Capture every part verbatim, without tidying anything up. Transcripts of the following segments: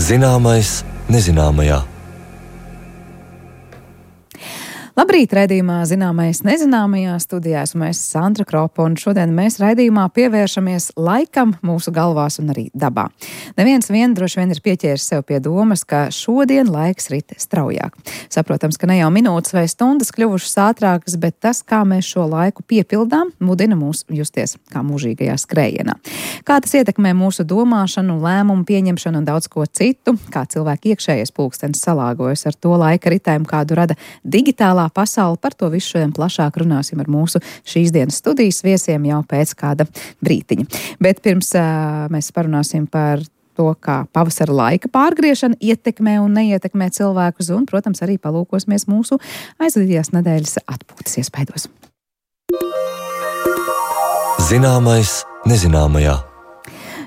Zināmais nezināmajā. Labrīt, raidījumā Zināmais nezināmajā studijā esmu es Sandra Kropa, un šodien mēs raidījumā pievēršamies laikam mūsu galvās un arī dabā. Neviens vien droši vien ir pieķēris sev pie domas, ka šodien laiks rit straujāk. Saprotams, ka ne jau minūtes vai stundas kļuvušas ātrākas, bet tas, kā mēs šo laiku piepildām, mudina mūs justies kā mūžīgajā skrējienā. Kā tas ietekmē mūsu domāšanu, lēmumu pieņemšanu un daudz ko citu, kā cilvēku iekšējais pulkstenis salāgojas ar to laika ritējumu, kādu rada digitālā pasauli. Par to visu šodien plašāk runāsim ar mūsu šīs dienas studijas viesiem jau pēc kāda brītiņa. Bet pirms uh, mēs parunāsim par to, kā pavasara laika pārgriešana ietekmē un neietekmē cilvēkus, un, protams, arī palūkosimies mūsu aizvadījās nedēļas atpūtas iespaidos. Zināmais nezināmajā.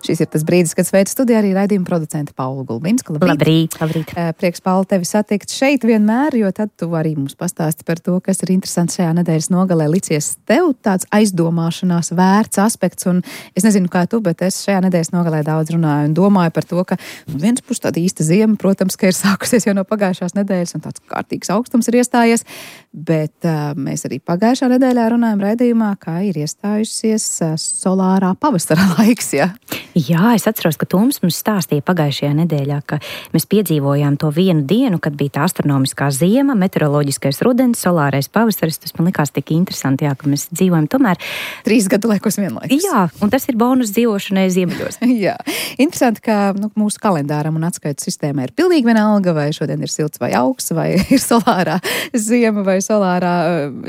Šis ir tas brīdis, kad sveicu studijā arī raidījuma producenta Paula Gulbinska. Labrīt, labrīt. Prieks, Paula, tevi satikt šeit vienmēr, jo tad tu arī mums pastāsti par to, kas ir interesants šajā nedēļas nogalē licies tev tāds aizdomāšanās vērts aspekts. Un es nezinu, kā tu, bet es šajā nedēļas nogalē daudz runāju un domāju par to, ka nu, viens puses tāda īsta ziema, protams, ka ir sākusies jau no pagājušās nedēļas un tāds kārtīgs augstums ir iestājies, bet uh, mēs arī pagājušā nedēļā runājam raidījumā, kā ir iestājusies uh, solārā pavasara laiks, ja? Jā, es atceros, ka Toms mums stāstīja pagājušajā nedēļā, ka mēs piedzīvojām to vienu dienu, kad bija tā astronomiskā ziema, meteoroloģiskais rudens, solārais pavasaris. Tas man likās tik interesanti, jā, ka mēs dzīvojam tomēr trīs gadu laikos vienlaikus. Jā, un tas ir bonus dzīvošanai ziemeļos. Jā, interesanti, ka nu, mūsu kalendāram un atskaites sistēmai ir pilnīgi vienalga, vai šodien ir silts vai augsts, vai ir solārā ziema vai solārā,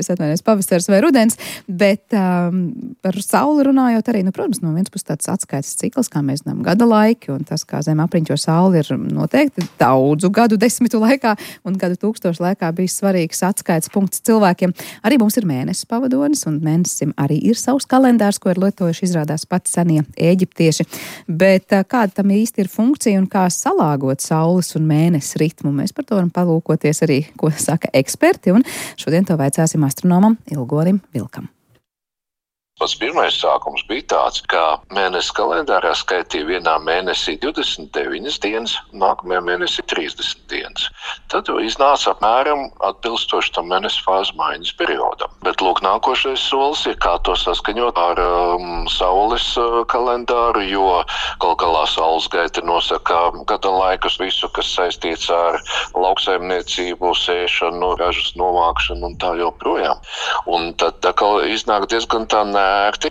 es atvainojos, pavasaris vai rudens, bet um, par sauli runājot arī, nu, protams, no viens puses tāds atskaites cikls, kā mēs zinām, gada laiki, un tas, kā Zeme apriņķo sauli, ir noteikti daudzu gadu desmitu laikā un gadu tūkstošu laikā bijis svarīgs atskaites punkts cilvēkiem. Arī mums ir mēnesis pavadonis, un mēnesim arī ir savs kalendārs, ko ir lietojuši izrādās pats senie eģiptieši. Bet kāda tam īsti ir funkcija un kā salāgot saules un mēnesis ritmu? Mēs par to varam palūkoties arī, ko saka eksperti, un šodien to vaicāsim astronomam Ilgorim Vilkam. Pats pirmais sākums bija tāds, ka mēnesis kalendārā skaitīja vienā mēnesī divdesmit deviņas dienas, nākamajā mēnesī trīsdesmit dienas. Tad iznāca apmēram atbilstoši tam mēnesi fāzes maiņas periodam. Bet lūk, nākošais solis ir, kā to saskaņot ar um, saules uh, kalendāru, jo gal galā saules gaita nosaka gada laikus, visu, kas saistīts ar lauksaimniecību, sēšanu, ražas novākšanu un tā joprojām. Un tad tā kā iznāk diezgan tā nē,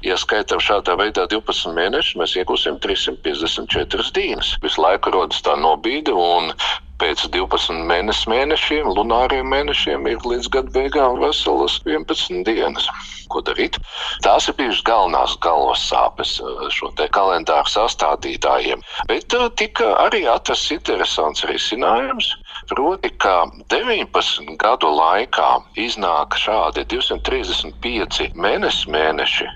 ja skaitam šādā veidā divpadsmit mēnešus, mēs iegūsim trīssimt piecdesmit četras dienas. Visu laiku rodas tā nobīde, un pēc divpadsmit mēnesi mēnešiem, lunāriem mēnešiem, ir līdz gada beigām veselas vienpadsmit dienas. Ko darīt? Tās ir bijušas galvenās galvas sāpes šo te kalendāru sastādītājiem. Bet tika arī atrasts interesants risinājums, proti, ka deviņpadsmit gadu laikā iznāk šādi divsimt trīsdesmit pieci mēnesi mēneši,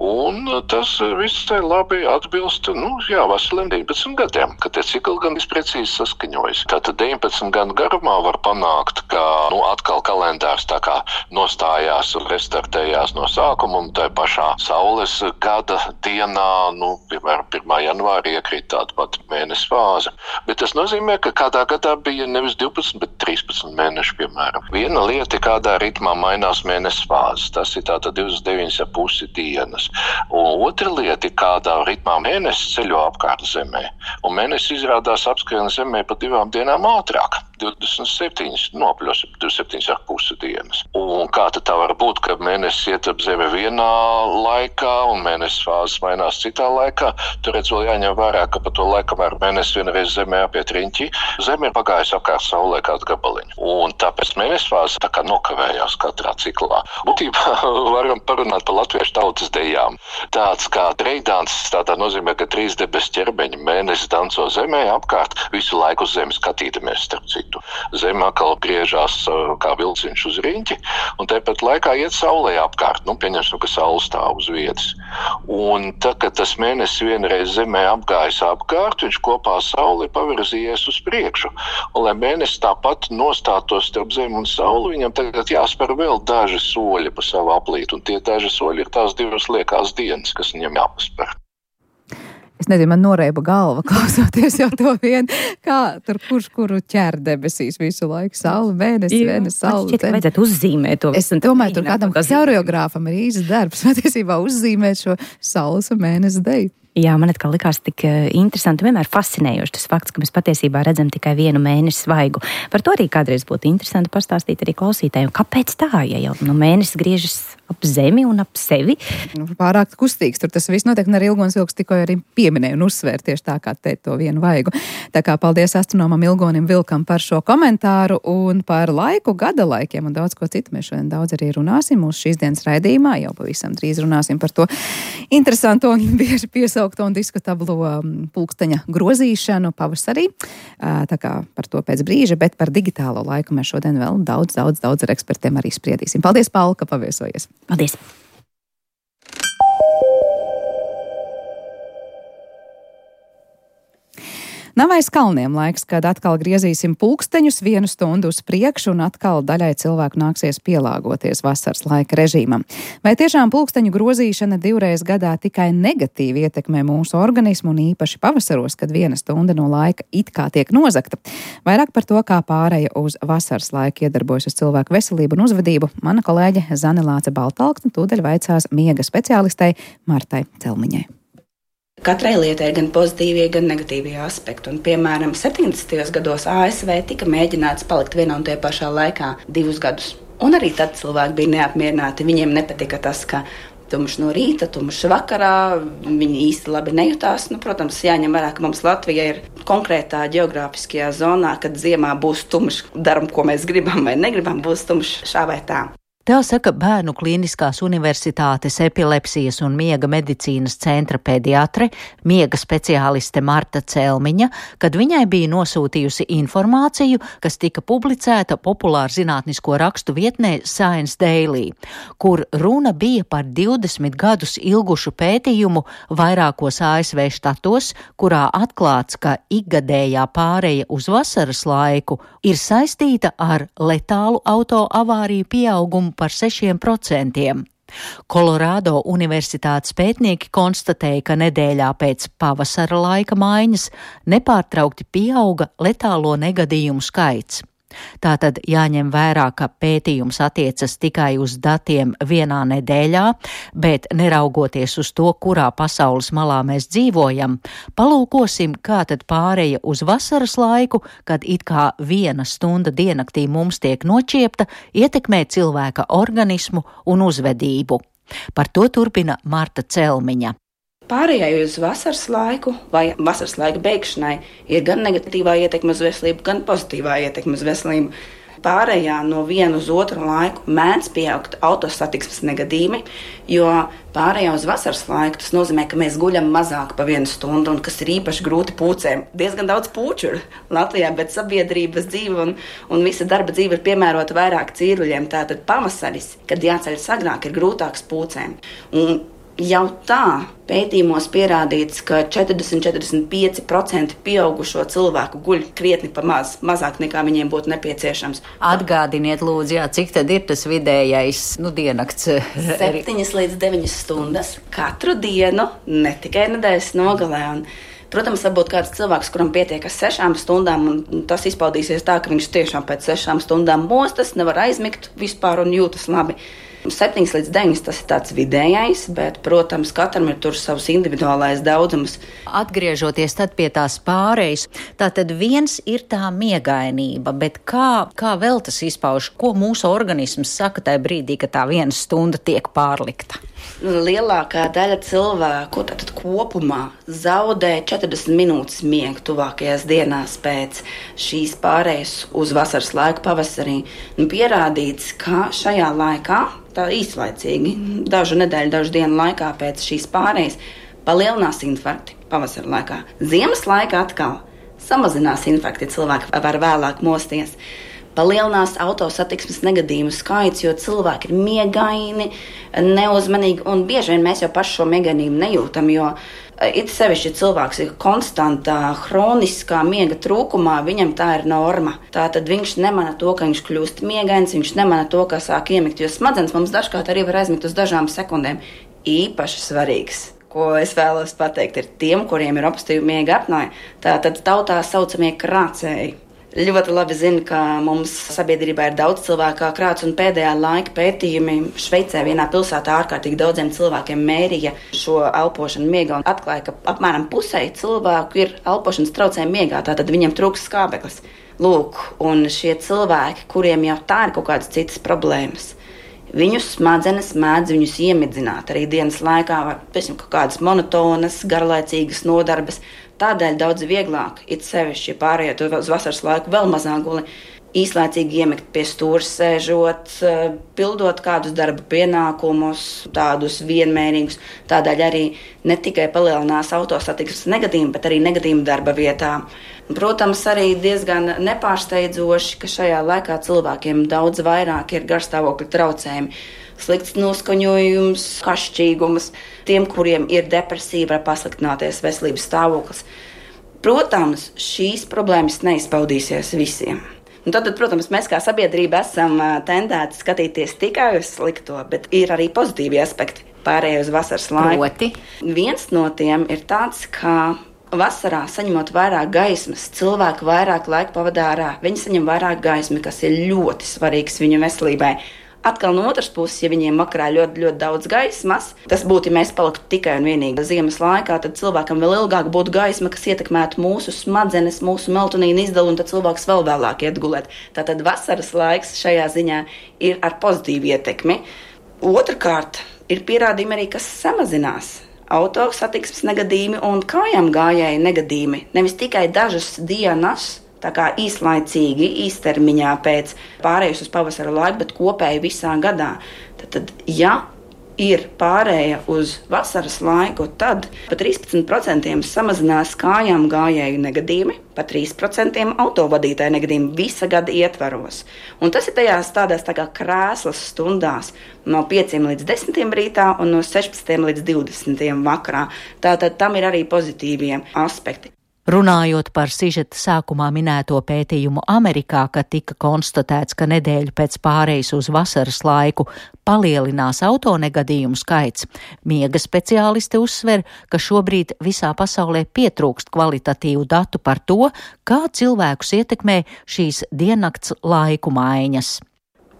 un tas visai labi atbilst, nu, jā, veseliem deviņpadsmit gadiem, ka tie cikli gan visprecīzi saskaņojas. Tātad deviņpadsmit gadu garumā var panākt, ka, nu, atkal kalendārs tā kā nostājās un restartējās no sākuma, un tai pašā saules gada dienā, nu, piemēram, pirmā janvārī iekrīt tāda pat mēnesis fāze. Bet tas nozīmē, ka kādā gadā bija nevis divpadsmit, bet trīspadsmit mēneši, piemēram. Viena lieta, kādā ritmā mainās mēnesis fāzes, tas ir tātad divdesmit deviņas ar pusi dienas. Un otra lieta, kādā ritmā mēnesis ceļo apkārt Zemē, un mēnesis izrādās apskrien Zemē pa divām dienām ātrāk. divdesmit septiņas, nopļos divdesmit septiņas ar pusi dienas. Un kā tad tā var būt, ka mēnesis iet ap Zemi vienā laikā un mēnesis fāzes mainās citā laikā? Tur redz vēl jāņem vērā, ka pa to laiku, kamēr mēnesis vienreiz Zemē apiet riņķi, Zeme ir pagājusi apkārt Saulē kādu gabaliņu. Un tāpēc mēnesis fāzes tā kā nokavējās katrā ciklā. Būtībā varam parunāt par latviešu tautas dejām. Tāds kā trejdāns, tādā nozīmē, ka trīs debes ķermeņi mēnesis danco Zemē apkārt, visu laiku uz Zemi skatīdamies starp citu. Zeme atkal griežās kā vilciņš uz riņķi, un tāpat laikā iet Saulē apkārt. Nu, pieņemsim, ka Saule stāv uz vietas. Un tad, kad tas mēnesis vienreiz Zemē apgājis apkārt, viņš kopā ar Sauli pavirzījies uz priekšu. Un, lai mēnesis tāpat nostātos starp Zemi un Sauli, viņam tagad jāspēr vēl daži soļi pa savu aplīti, un tie daži soļi ir tās divas liekās dienas, kas viņam jāpaspēr. Es nezinu, man noreiba galva klausoties jau to vien, kā tur kurš kuru ķer debesīs visu laiku. Saula, mēnesis, mēnesis, saula. Šķiet, ka vajadzētu uzzīmēt to. Es domāju, tur kādam koreogrāfam ir īsts darbs, patiesībā uzzīmēt šo saules un mēnesi deju. Jā, man atkal likās tik interesanti, vienmēr fascinējoši tas fakts, ka mēs patiesībā redzam tikai vienu mēnesi svaigu. Par to arī kādreiz būtu interesanti pastāstīt arī klausītājiem. Kāpēc tā, ja jau nu, mēnesis griežas ap zemi un ap sevi? Nu, pārāk kustīgs, tur tas viss notiek, un arī Ilgonis Vilks tikko arī pieminēja un uzsvēr tieši tā, kā teikt to vienu vaigu. Tā kā paldies astronomam Ilgonim Vilkam par šo komentāru un par laiku, gada laikiem un daudz ko citu. Mēs šodien daudz arī runāsim mūsu šīs dienas raidījumā, jau pavisam drīz runāsim par to interesanto un bieži piesaukto un diskutablo pulksteņa grozīšanu pavasarī. Tā kā par to pēc brīža, bet par digitālo laiku mēs šodien vēl daudz, daudz, daudz ar ekspertiem arī spriedīsim. Paldies, Paula, ka paviesojies. Paldies! Nav aiz kalniem laiks, kad atkal griezīsim pulksteņus vienu stundu uz priekšu un atkal daļai cilvēku nāksies pielāgoties vasaras laika režīmam. Vai tiešām pulksteņu grozīšana divreiz gadā tikai negatīvi ietekmē mūsu organismu un īpaši pavasaros, kad viena stunda no laika it kā tiek nozagta? Vairāk par to, kā pāreja uz vasaras laiku iedarbojas uz cilvēku veselību un uzvedību, mana kolēģe Zane Lāce Baltalksne tūdaļ vaicās miega speciālistei Martai Celmiņai. Katrai lietai ir gan pozitīvie, gan negatīvie aspekti. Un, piemēram, septiņdesmitajos gados A S V tika mēģināts palikt vienā un tajā pašā laikā divus gadus. Un arī tad cilvēki bija neapmierināti. Viņiem nepatika tas, ka tumšs no rīta, tumšs vakarā, viņi īsti labi nejutās. Nu, protams, jāņem vērā, ka mums Latvija ir konkrētā geogrāfiskajā zonā, kad ziemā būs tumšs, daram, ko mēs gribam vai negribam, būs tumšs šā vai tā. Tā saka Bērnu Kliniskās Universitātes epilepsijas un miega medicīnas centra pediatre, miega speciāliste Marta Celmiņa, kad viņai bija nosūtījusi informāciju, kas tika publicēta populāru zinātnisko rakstu vietnē Science Daily, kur runa bija par divdesmit gadus ilgušu pētījumu vairākos A S V štatos, kurā atklāts, ka ikgadējā pāreja uz vasaras laiku ir saistīta ar letālu autoavāriju pieaugumu par sešiem procentiem. Kolorādo Universitātes pētnieki konstatēja, ka nedēļā pēc pavasara laika maiņas nepārtraukti pieauga letālo negadījumu skaits. Tātad jāņem vērā, ka pētījums attiecas tikai uz datiem vienā nedēļā, bet neraugoties uz to, kurā pasaules malā mēs dzīvojam, palūkosim, kā tad pāreja uz vasaras laiku, kad it kā viena stunda diennaktī mums tiek nočiepta, ietekmē cilvēka organismu un uzvedību. Par to turpina Marta Celmiņa. Pārējai uz vasaras laiku vai vasaras laika beigšanai ir gan negatīvā ietekme uz veselību, gan pozitīvā ietekme uz veselību. Pārējā no viena uz otru laiku mēdz pieaugt autosatiksmes negadījumi, jo pārējā uz vasaras laiku tas nozīmē, ka mēs guļam mazāk pa vienu stundu, un kas ir īpaši grūti pūcēm. Diezgan daudz pūču ir Latvijā, bet sabiedrības dzīve un, un visa darba dzīve ir piemērota vairāk cīruļiem. Tātad pavasaris, kad jāceļas agrāk, ir grūtāks pūcēm. Un jau tā pētījumos pierādīts, ka četrdesmit līdz četrdesmit pieci procenti pieaugušo cilvēku guļ krietni pa maz, mazāk nekā viņiem būtu nepieciešams. Atgādiniet, lūdzu, jā, cik tad ir tas vidējais, nu, diennakts? Septiņas līdz deviņas stundas katru dienu, ne tikai nedēļas nogalē. Un, protams, varbūt kāds cilvēks, kuram pietiek ar sešām stundām, un tas izpaudīsies tā, ka viņš tiešām pēc sešām stundām mostas, nevar aizmigt vispār un jūtas labi. septiņas līdz deviņas tas ir tāds vidējais, bet, protams, katram ir tur savs individuālais daudzums. Atgriežoties tad pie tās pārejas, tātad viens ir tā miegainība, bet kā, kā vēl tas izpauž, ko mūsu organisms saka tajā brīdī, ka tā viena stunda tiek pārlikta? Lielākā daļa cilvēku tātad kopumā zaudē četrdesmit minūtes miegu tuvākajās dienās pēc šīs pārējas uz vasaras laiku pavasarī. Un pierādīts, ka šajā laikā, tā īslaicīgi, dažu nedēļu, dažu dienu laikā pēc šīs pārējas, palielinās infarkti pavasara laikā. Ziemas laikā atkal samazinās infarkti, cilvēki var vēlāk mosties. Palielinās autosatiksmes negadījumu skaits, jo cilvēki ir miegaini, neuzmanīgi, un bieži vien mēs jau paši šo miegainību nejūtam, jo it sevišķi cilvēks ir konstantā, hroniskā miega trūkumā, viņam tā ir norma. Tātad viņš nemana to, ka viņš kļūst miegains, viņš nemana to, ka sāk iemigt, jo smadzenes mums dažkārt arī var aizmigt uz dažām sekundēm. Īpaši svarīgs, ko es vēlos pateikt, ir tiem, kuriem ir obstruktīva miega apnoja. Tātad tautā saucamie krācēji. Ļoti labi zinu, ka mums sabiedrībā ir daudz cilvēku kā krāts, un pēdējā laika pētījumi Šveicē vienā pilsētā ārkārtīgi daudziem cilvēkiem mērīja šo elpošanu miegā un atklāja, ka apmēram pusē cilvēku ir elpošanas traucējumi miegā, tātad viņiem trūks skābeklis. Lūk, un šie cilvēki, kuriem jau tā ir kaut kādas citas problēmas, viņu smadzenes mēdz viņus iemidzināt arī dienas laikā, vai piemēram, kaut kādas monotonas, garlaicīgas nodarbes. Tādēļ daudz vieglāk, it sevišķi pārējot uz vasaras laiku, vēl mazāk guli, īslaicīgi iemigt pie stūra sēžot, pildot kādus darba pienākumus, tādus vienmērīgus. Tādēļ arī ne tikai palielinās autosatiksmes negadījumi, bet arī negadījumi darba vietā. Protams, arī diezgan nepārsteidzoši, ka šajā laikā cilvēkiem daudz vairāk ir garstāvokļa traucējumi. Slikts noskaņojums, kašķīgums, tiem, kuriem ir depresija, var pasliktināties veselības stāvoklis. Protams, šīs problēmas neizpaudīsies visiem. Un tad, protams, mēs kā sabiedrība esam tendēti skatīties tikai uz slikto, bet ir arī pozitīvi aspekti pārējai uz vasaras laiku. Proti? Viens no tiem ir tāds, ka vasarā saņemot vairāk gaismas, cilvēki vairāk laika pavadā ārā, viņi saņem vairāk gaismi, kas ir ļoti svarīgs viņu veselībai. Atkal no otras puses, ja viņiem vakarā ļoti, ļoti daudz gaismas, tas būtu, ja mēs paliktu tikai un vienīgi ziemas laikā, tad cilvēkam vēl ilgāk būtu gaisma, kas ietekmētu mūsu smadzenes, mūsu melatonīnu izdalu, un tad cilvēks vēl vēlāk iet gulēt. Tātad vasaras laiks šajā ziņā ir ar pozitīvu ietekmi. Otrakārt, ir pierādījumi arī, kas samazinās auto satiksmes negadījumi un kājām gājēju negadījumi. Nevis tikai dažas dienas, tā kā īslaicīgi, īstermiņā pēc pārējas uz pavasara laiku, bet kopēji visā gadā. Tad, tad ja ir pārēja uz vasaras laiku, tad pa trīspadsmit procentiem samazinās kājām gājēju negadījumi, pa trīs procentiem autovadītāju negadījumi visa gada ietvaros. Un tas ir tajās tādās tā kā krēslas stundās no pieciem līdz desmitiem rītā un no sešpadsmitiem līdz divdesmitiem vakarā. Tātad tam ir arī pozitīvie aspekti. Runājot par sižeta sākumā minēto pētījumu Amerikā, kad tika konstatēts, ka nedēļu pēc pārejas uz vasaras laiku palielinās autonegadījumu skaits, miega speciālisti uzsver, ka šobrīd visā pasaulē pietrūkst kvalitatīvu datu par to, kā cilvēkus ietekmē šīs diennakts laiku maiņas.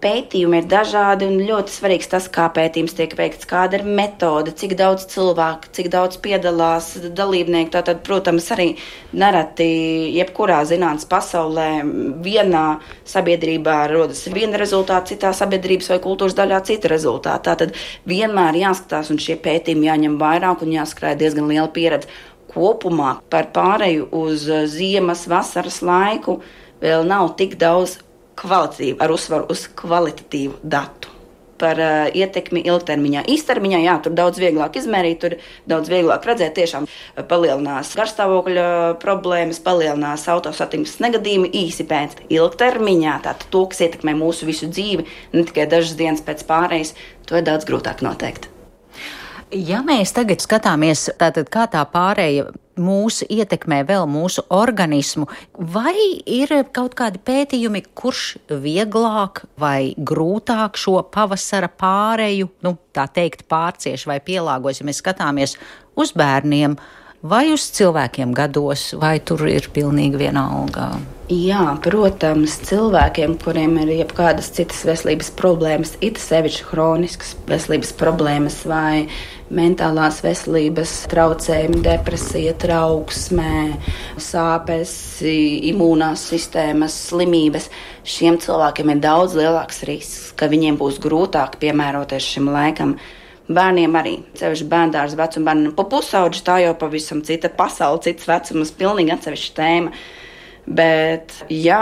Pētījumi ir dažādi un ļoti svarīgs tas, kā pētījums tiek veikts, kāda ir metode, cik daudz cilvēku, cik daudz piedalās dalībnieku. Tātad, protams, arī nereti jebkurā zinātnes pasaulē vienā sabiedrībā rodas viena rezultāta, citā sabiedrības vai kultūras daļā cita rezultāta. Tātad vienmēr jāskatās un šie pētījumi jāņem vairāk un jāskrāj diezgan liela pieredze. Kopumā par pāreju uz ziemas, vasaras laiku vēl nav tik daudz kvalitatīvu, ar uzsvaru uz kvalitatīvu datu par uh, ietekmi ilgtermiņā. Īstermiņā, jā, tur daudz vieglāk izmērīt, tur daudz vieglāk redzēt, tiešām palielinās garstāvokļa problēmas, palielinās autosatiksmes negadījumi īsi pēc. Ilgtermiņā, tātad to, kas ietekmē mūsu visu dzīvi, ne tikai dažas dienas pēc pārejas, to ir daudz grūtāk noteikt. Ja mēs tagad skatāmies, tātad kā tā pārēja mūsu ietekmē vēl mūsu organismu, vai ir kaut kādi pētījumi, kurš vieglāk vai grūtāk šo pavasara pāreju, nu, tā teikt, pārcieš vai pielāgojas, ja mēs skatāmies uz bērniem vai uz cilvēkiem gados, vai tur ir pilnīgi vienalga? Jā, protams, cilvēkiem, kuriem ir jebkādas citas veselības problēmas, it sevišķi hroniskas veselības problēmas vai mentālās veselības traucējumi, depresija, trauksmē, sāpes, imūnās sistēmas, slimības, šiem cilvēkiem ir daudz lielāks risks, ka viņiem būs grūtāk piemēroties šim laikam. Bērniem arī, sevišķi bērndārs vecuma bērniem, pa pusauģi tā jau pavisam cita pasaule, cits vecums, pilnīgi atsevišķa tēma. Bet, jā,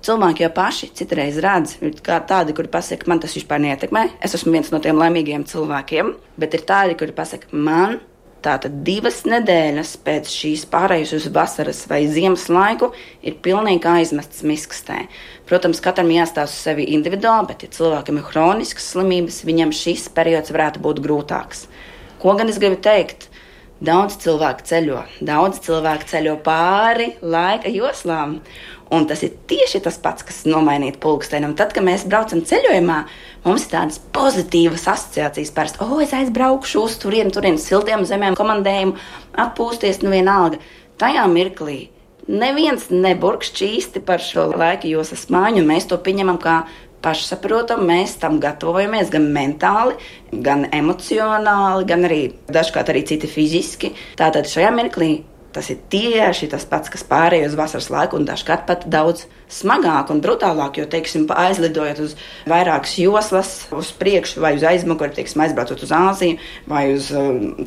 cilvēki jau paši citreiz redz, kā tādi, kuri pasaka, man tas vispār neietekmē, es esmu viens no tiem laimīgiem cilvēkiem, bet ir tādi, kuri pasaka, man tātad divas nedēļas pēc šīs pārējas uz vasaras vai ziemas laiku ir pilnīgi aizmests miskastē. Protams, katram jāstāsta uz sevi individuāli, bet ja cilvēkam ir hroniskas slimības, viņam šis periods varētu būt grūtāks. Ko gan es gribu teikt? Daudz cilvēku ceļo, daudz cilvēku ceļo pāri laika joslām. Un tas ir tieši tas pats, kas nomainīt pulksteni. Un tad, kad mēs braucam ceļojumā, mums ir tādas pozitīvas asociācijas. Parasti, o, es aizbraukšu uz turienu, turienu siltiem zemēm, komandējumu, atpūsties, nu vienalga. Tajā mirklī neviens neburkš čīsti par šo laika joslas māju, un mēs to pieņemam kā pašsaprotam, mēs tam gatavojamies gan mentāli, gan emocionāli, gan arī dažkārt arī citi fiziski. Tātad šajā mirklī tas ir tieši tas pats, kas pārēj uz vasaras laiku, un dažkārt pat daudz smagāk un brutālāk, jo, teiksim, aizlidojot uz vairākas joslas, uz priekšu vai uz aizmuguri, teiksim, aizbraucot uz Āziju vai uz,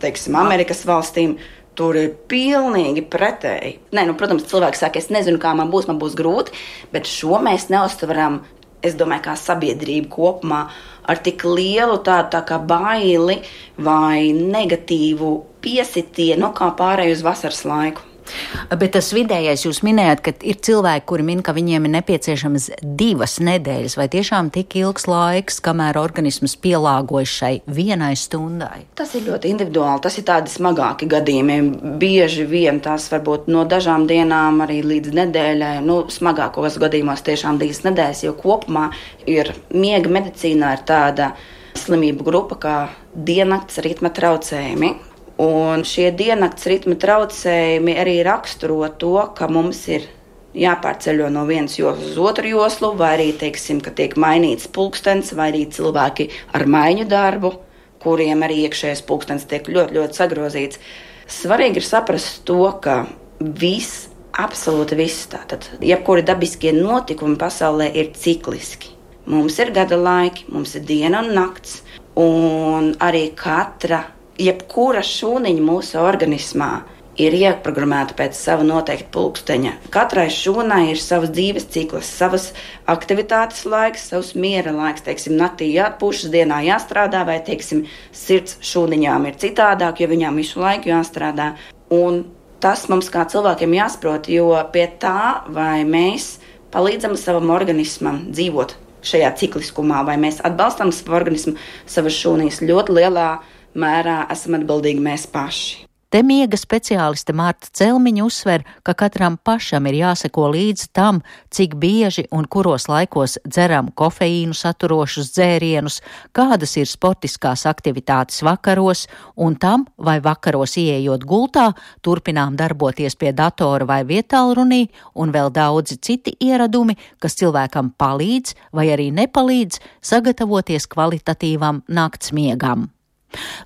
teiksim, Amerikas valstīm, tur ir pilnīgi pretēji. Nē, nu, protams, cilvēks saka, es nezinu, kā man būs, man būs grūti, bet šo mēs neuztveram, es domāju, kā sabiedrība kopumā ar tik lielu tādu tā kā baili vai negatīvu piesitienu, kā pārēj uz vasaras laiku. Bet tas vidējais, jūs minējāt, ka ir cilvēki, kuri min, ka viņiem ir nepieciešamas divas nedēļas vai tiešām tik ilgs laiks, kamēr organisms pielāgojas šai vienai stundai. Tas ir ļoti individuāli, tas ir tādi smagāki gadījumi. Bieži vien tās varbūt no dažām dienām arī līdz nedēļai, nu smagākos gadījumos tiešām divas nedēļas, jo kopumā ir miega medicīnā ir tāda slimību grupa kā diennakts ritma traucējumi. Un šie diennakts ritma traucējumi arī raksturo to, ka mums ir jāpārceļo no vienas joslas uz otru joslu, vai arī, teiksim, ka tiek mainīts pulkstens, vai arī cilvēki ar maiņu darbu, kuriem arī iekšējais pulkstens tiek ļoti, ļoti sagrozīts. Svarīgi ir saprast to, ka viss, absolūti viss, tātad, jebkuri dabiskie notikumi pasaulē ir cikliski. Mums ir gada laiki, mums ir diena un nakts, un arī katra jebkura šūniņa mūsu organismā ir ieprogrammēta pēc sava noteikta pulksteņa. Katrai šūnai ir savas dzīves cikls, savas aktivitātes laiks, savs miera laiks. Teiksim, naktī jāatpūšas, dienā jāstrādā, vai, teiksim, sirds šūniņām ir citādāk, jo viņām visu laiku jāstrādā. Un tas mums kā cilvēkiem jāsaprot, jo pie tā, vai mēs palīdzam savam organismam dzīvot šajā cikliskumā, vai mēs atbalstam savu organismu, savas šūnīs ļoti lielā mērā esam atbildīgi mēs paši. Te miega speciāliste Marta Celmiņa uzsver, ka katram pašam ir jāseko līdz tam, cik bieži un kuros laikos dzeram kofeīnu saturošus dzērienus, kādas ir sportiskās aktivitātes vakaros, un tam, vai vakaros ieejot gultā, turpinām darboties pie datora vai vietālrunī, un vēl daudzi citi ieradumi, kas cilvēkam palīdz vai arī nepalīdz sagatavoties kvalitatīvam naktsmiegam.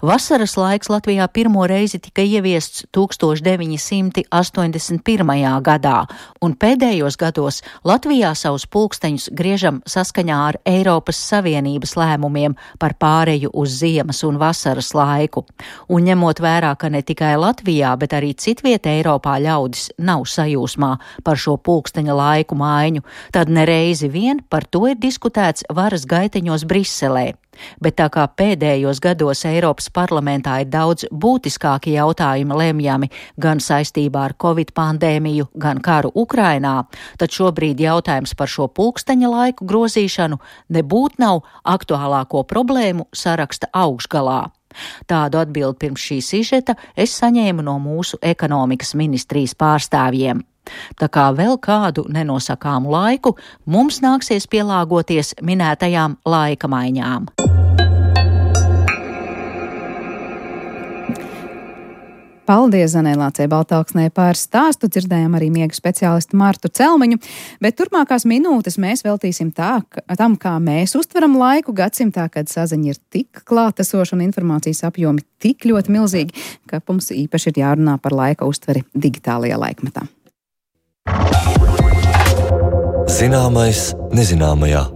Vasaras laiks Latvijā pirmo reizi tika ieviests tūkstoš deviņi simti astoņdesmit pirmajā gadā, un pēdējos gados Latvijā savus pulksteņus griežam saskaņā ar Eiropas Savienības lēmumiem par pāreju uz ziemas un vasaras laiku. Un ņemot vērā, ka ne tikai Latvijā, bet arī citviet Eiropā ļaudis nav sajūsmā par šo pulksteņa laiku maiņu, tad nereizi vien par to ir diskutēts varas gaiteņos Briselē. Bet tā kā pēdējos gados Eiropas parlamentā ir daudz būtiskāki jautājumi lemjami gan saistībā ar Covid pandēmiju, gan karu Ukrainā, tad šobrīd jautājums par šo pulksteņa laiku grozīšanu nebūt nav aktuālāko problēmu saraksta augšgalā. Tādu atbildi pirms šī sižeta es saņēmu no mūsu ekonomikas ministrijas pārstāvjiem. Tā kā vēl kādu nenosakāmu laiku mums nāksies pielāgoties minētajām laika maiņām. Paldies Zanai Lācei Baltāksnei par stāstu, dzirdējām arī miega speciālistu Martu Celmiņu, bet turpmākās minūtes mēs veltīsim tā, tam, kā mēs uztveram laiku gadsimtā, kad saziņa ir tik klātesoša un informācijas apjomi tik ļoti milzīgi, ka mums īpaši ir jārunā par laika uztveri digitālajā laikmetā. Zināmais nezināmajā.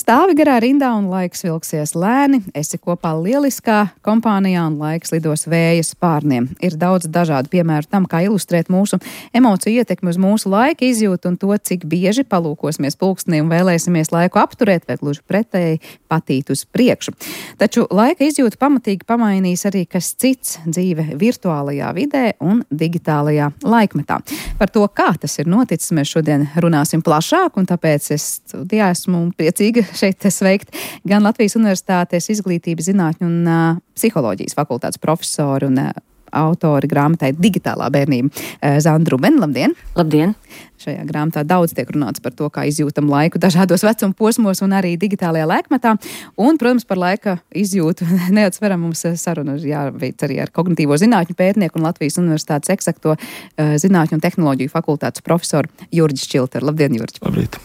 Stāvi garā rindā un laiks vilksies lēni, esi kopā lieliskā kompānijā un laiks lidos vēja spārniem. Ir daudz dažādu piemēru tam, kā ilustrēt mūsu emociju ietekmi uz mūsu laika izjūtu un to, cik bieži palūkosimies pulkstenī un vēlēsimies laiku apturēt vai gluži pretēji patīt uz priekšu. Taču laika izjūtu pamatīgi pamainīs arī kas cits - dzīve virtuālajā vidē un digitālajā laikmetā. Par to, kā tas ir noticis, mēs šodien runāsim plašāk, un tāpēc es studijā esmu priecīga šeit sveikt gan Latvijas Universitātes izglītības zinātņu un uh, psiholoģijas fakultātes profesoru un uh, autori grāmatai Digitālā bērnība Zandru Rubeni. Labdien! Labdien! Šajā grāmatā daudz tiek runāts par to, kā izjūtam laiku dažādos vecuma posmos un arī digitālajā laikmetā. Un, protams, par laika izjūtu neatsveram mums sarunu jāveic arī ar kognitīvo zinātņu pētnieku un Latvijas Universitātes eksakto zinātņu un tehnoloģiju fakultātes profesoru Jurģi Šķilteru. Labdien, Jurģi! Labrīt!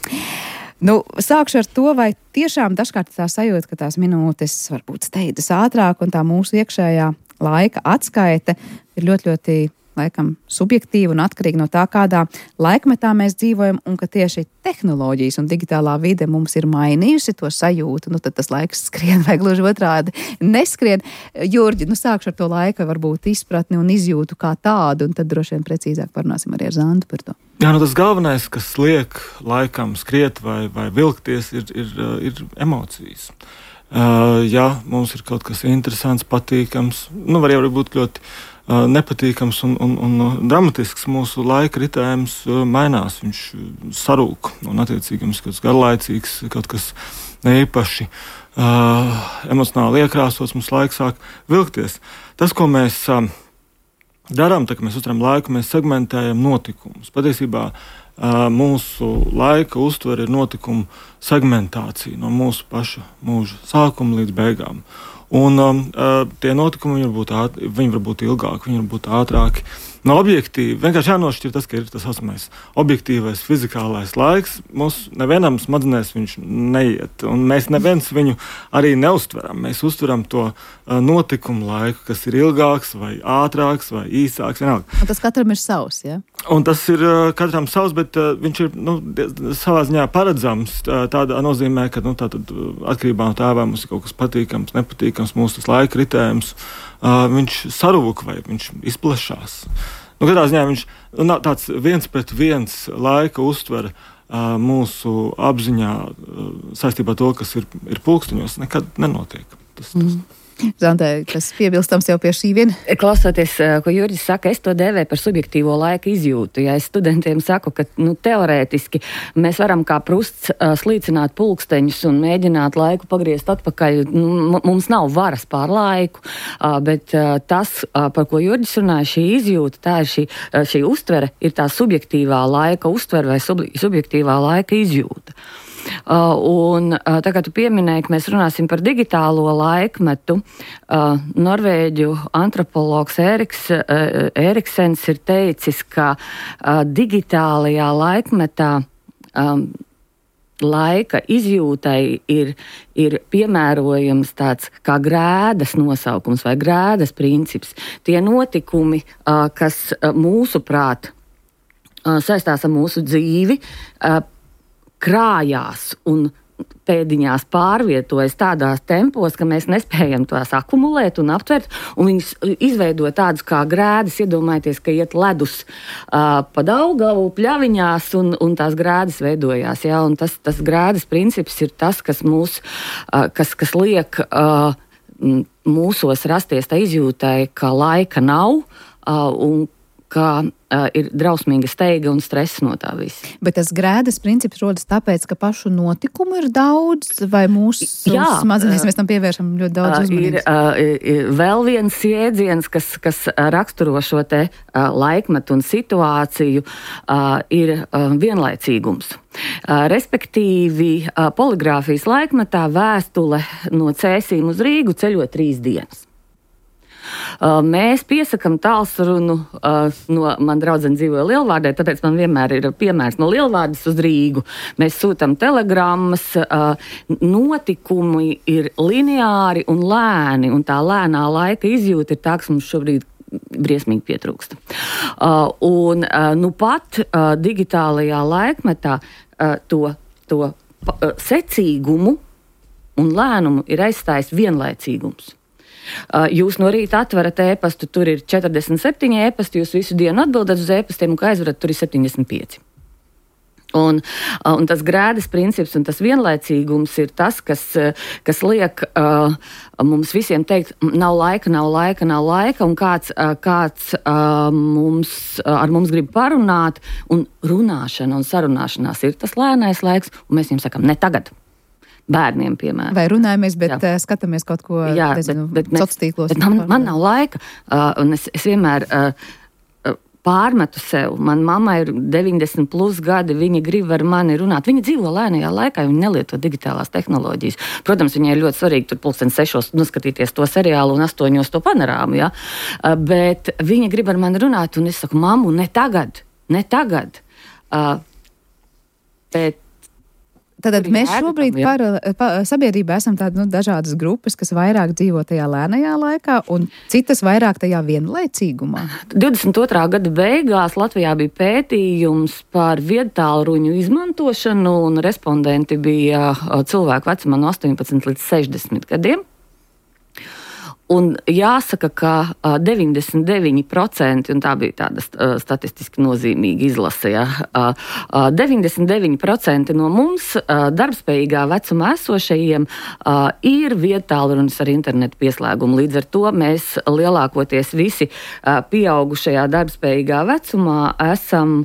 Nu, sākšu ar to, vai tiešām dažkārt tā sajūta, ka tās minūtes varbūt steidzas ātrāk un tā mūsu iekšējā laika atskaite ir ļoti, ļoti, laikam, subjektīva un atkarīga no tā, kādā laikmetā mēs dzīvojam, un ka tieši tehnoloģijas un digitālā vide mums ir mainījusi to sajūtu, nu tad tas laiks skrien vai gluži otrādi neskrien. Jurģi, nu sākšu ar to laika varbūt izpratni un izjūtu kā tādu, un tad droši vien precīzāk parunāsim arī ar Zandu par to. Jā, nu tas galvenais, kas liek laikam skriet vai, vai vilkties, ir, ir, ir emocijas. Uh, ja mums ir kaut kas interesants, patīkams, nu var jau būt ļoti uh, nepatīkams un, un, un dramatisks, mūsu laika ritējums uh, mainās, viņš sarūk, un attiecīgi mums kaut kas garlaicīgs, kaut kas neīpaši uh, emocionāli iekrāsots, mums laiks sāk vilkties. Tas, ko mēs uh, darām, tā kā mēs uztveram laiku, mēs segmentējam notikumus. Patiesībā mūsu laika uztvere ir notikumu segmentācija no mūsu paša mūža sākuma līdz beigām. Un um, tie notikumi var būt, āt, viņi var būt ilgāki, viņi var būt ātrāki. No objektīvi, vienkārši jānošķir tas, ka ir tas saucamais objektīvais fizikālais laiks. Mums nevienam smadzenēs viņš neiet, un mēs neviens viņu arī neuztveram. Mēs uztveram to uh, notikumu laiku, kas ir ilgāks vai ātrāks vai īsāks. Vienalga. Un tas katram ir savs, ja? Un tas ir uh, katram savs, bet uh, viņš ir nu, savā ziņā paredzams. Tā, tādā nozīmē, ka nu, tātad, atkarībā no tā, vai mums ir kaut kas patīkams, nepatīkams, mūsu tas laika ritējums, uh, viņš sarūk vai viņš izplešās. Nu, katrā ziņā viņš nu, tāds viens pret viens laika uztvere uh, mūsu apziņā uh, saistībā ar to, kas ir, ir pulksteņos, nekad nenotiek. Tas, tas. Mm. Zantē, kas piebilstams jau pie šī viena? Klausoties, ko Jurģis saka, es to dēvēju par subjektīvo laika izjūtu. Ja es studentiem saku, ka nu, teorētiski mēs varam kā prusts uh, slīcināt pulksteņus un mēģināt laiku pagriezt atpakaļ. Nu, mums nav varas pār laiku, uh, bet uh, tas, uh, par ko Jurģis runāja, šī izjūta, tā ir šī, uh, šī uztvere, ir tā subjektīvā laika uztvere vai sub, subjektīvā laika izjūta. Uh, un uh, tā kā tu pieminēji, ka mēs runāsim par digitālo laikmetu, uh, Norvēģu antropologs Eriks, uh, Eriksens ir teicis, ka uh, digitālajā laikmetā um, laika izjūtai ir, ir piemērojams tāds kā grēdas nosaukums vai grēdas princips. Tie notikumi, uh, kas uh, mūsuprāt uh, saistās ar mūsu dzīvi, uh, krājās un pēdiņās pārvietojas tādās tempos, ka mēs nespējam tās akumulēt un aptvert, un viņas izveido tādus kā grēdas. Iedomājieties, ka iet ledus uh, pa Daugavu pļaviņās, un, un tās grēdas veidojās. Ja? Un tas, tas grēdas princips ir tas, kas mūs, uh, kas, kas liek uh, mūsos rasties tā izjūtai, ka laika nav, uh, un ka uh, ir drausmīga steiga un stress no tā visa. Bet tas grēdas princips rodas tāpēc, ka pašu notikumu ir daudz, vai mūsu smadzenēs mēs tam pievēršam ļoti daudz uzmanības? Ir, uh, ir vēl viens jēdziens, kas, kas raksturo šo te uh, laikmetu un situāciju, uh, ir uh, vienlaicīgums. Uh, respektīvi, uh, poligrāfijas laikmetā vēstule no Cēsīm uz Rīgu ceļo trīs dienas. Uh, mēs piesakam tālsrunu uh, no, man draudzene dzīvoja Lielvārdē, tāpēc man vienmēr ir piemērs no Lielvārdas uz Rīgu. Mēs sūtam telegrammas, uh, notikumi ir lineāri un lēni, un tā lēnā laika izjūta ir tā, kas mums šobrīd briesmīgi pietrūksta. Uh, un uh, nu pat uh, digitālajā laikmetā uh, to, to uh, secīgumu un lēnumu ir aizstājis vienlaicīgums. Jūs no rīta atverat ēpastu, tur ir četrdesmit septiņi ēpasti, jūs visu dienu atbildat uz ēpastiem, un kā aizverat, tur ir septiņdesmit pieci. Un, un tas grēdas princips un tas vienlaicīgums ir tas, kas, kas liek uh, mums visiem teikt, nav laika, nav laika, nav laika, un kāds, uh, kāds uh, mums, uh, ar mums grib parunāt, un runāšana un sarunāšanās ir tas lēnais laiks, un mēs viņam sakam, ne tagad. bērniem, piemēram. Vai runājamies, bet jā. skatāmies kaut ko, jā, nezinu, bet, bet sociālos tīklos. Bet man, man nav laika, uh, un es, es vienmēr uh, pārmetu sev. Man mamma ir deviņdesmit plus gadi, viņa grib ar mani runāt. Viņa dzīvo lēnajā laikā, viņa nelieto digitālās tehnoloģijas. Protams, viņai ir ļoti svarīgi tur pulksten sešos noskatīties to seriālu un astoņos to panorāmu, ja? Uh, bet viņa grib ar mani runāt, un es saku, mammu, ne tagad, ne tagad. Uh, bet Tātad mēs šobrīd par, par sabiedrībā esam tādi nu, dažādas grupas, kas vairāk dzīvo tajā lēnajā laikā un citas vairāk tajā vienlaicīgumā. divdesmit otrā gada beigās Latvijā bija pētījums par viedtālruņu izmantošanu, un respondenti bija cilvēku vecumā no astoņpadsmit līdz sešdesmit gadiem. Un jāsaka, ka deviņdesmit deviņi procenti, un tā bija tāda uh, statistiski nozīmīga izlase, ja, uh, uh, deviņdesmit deviņi procenti no mums uh, darbspējīgā vecumā esošajiem uh, ir viedtālrunis ar internetu pieslēgumu. Līdz ar to mēs lielākoties visi uh, pieaugušajā darbspējīgā vecumā esam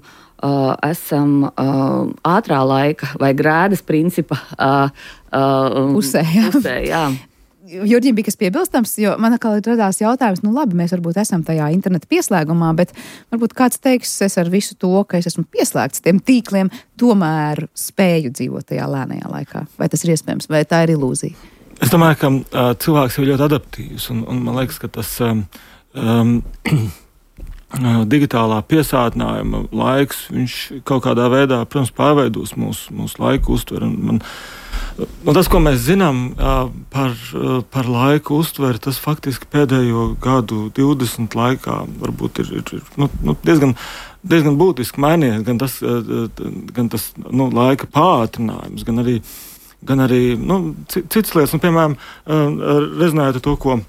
Uh, esam uh, ātrā laika vai grēdas principa uh, uh, pusē. Jā. pusē jā. Jurģim bija kas piebilstams, jo man atkal radās jautājums, nu labi, mēs varbūt esam tajā interneta pieslēgumā, bet varbūt kāds teiks, es ar visu to, ka es esmu pieslēgts tiem tīkliem, tomēr spēju dzīvot tajā lēnajā laikā. Vai tas ir iespējams, vai tā ir ilūzija? Es domāju, ka uh, cilvēks ir ļoti adaptīvs, un, un man liekas, ka tas um, um, digitālā piesātinājuma laiks, viņš kaut kādā veidā, protams, pārveidos mūsu, mūsu laiku uztveru. Man, nu, tas, ko mēs zinām par, par laiku uztveri, tas faktiski pēdējo gadu divdesmit laikā varbūt ir, ir nu, nu, diezgan, diezgan būtiski mainījies. Gan tas, gan tas nu, laika pātrinājums, gan arī, gan arī nu, citas lietas. Nu, piemēram, rezinājot ar to, ko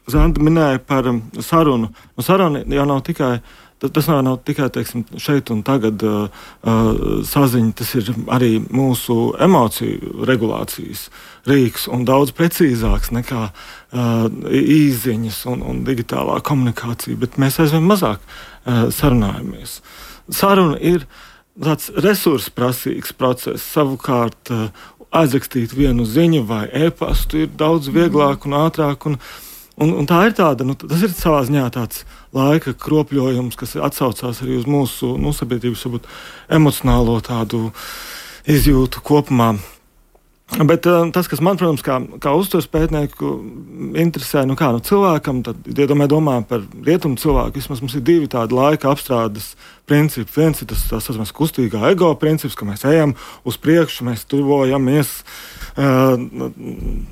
Zanda minēja par um, sarunu. Nu, saruna jau nav tikai, tas nav, nav tikai teiksim, šeit un tagad uh, uh, saziņa, tas ir arī mūsu emociju regulācijas rīks un daudz precīzāks nekā uh, īziņas un, un digitālā komunikācija, bet mēs aizvien mazāk uh, sarunājamies. Saruna ir tāds resursprasīgs process, savukārt uh, aizrakstīt vienu ziņu vai e-pastu ir daudz vieglāk un ātrāk un Un, un tā ir tāda, nu, tas ir savā ziņā tāds laika kropļojums, kas atsaucās arī uz mūsu nu, sabiedrības varbūt, emocionālo tādu izjūtu kopumā. Bet uh, tas, kas man, protams, kā, kā uztveres pētnieku interesē, nu kā nu, cilvēkam, tad, ja domā, domā par rietumu cilvēku, vismaz mums ir divi tādi laika apstrādes principi. Viens ir tas, tas saucamais kustīgā ego princips, ka mēs ejam uz priekšu, mēs tuvojamies uh,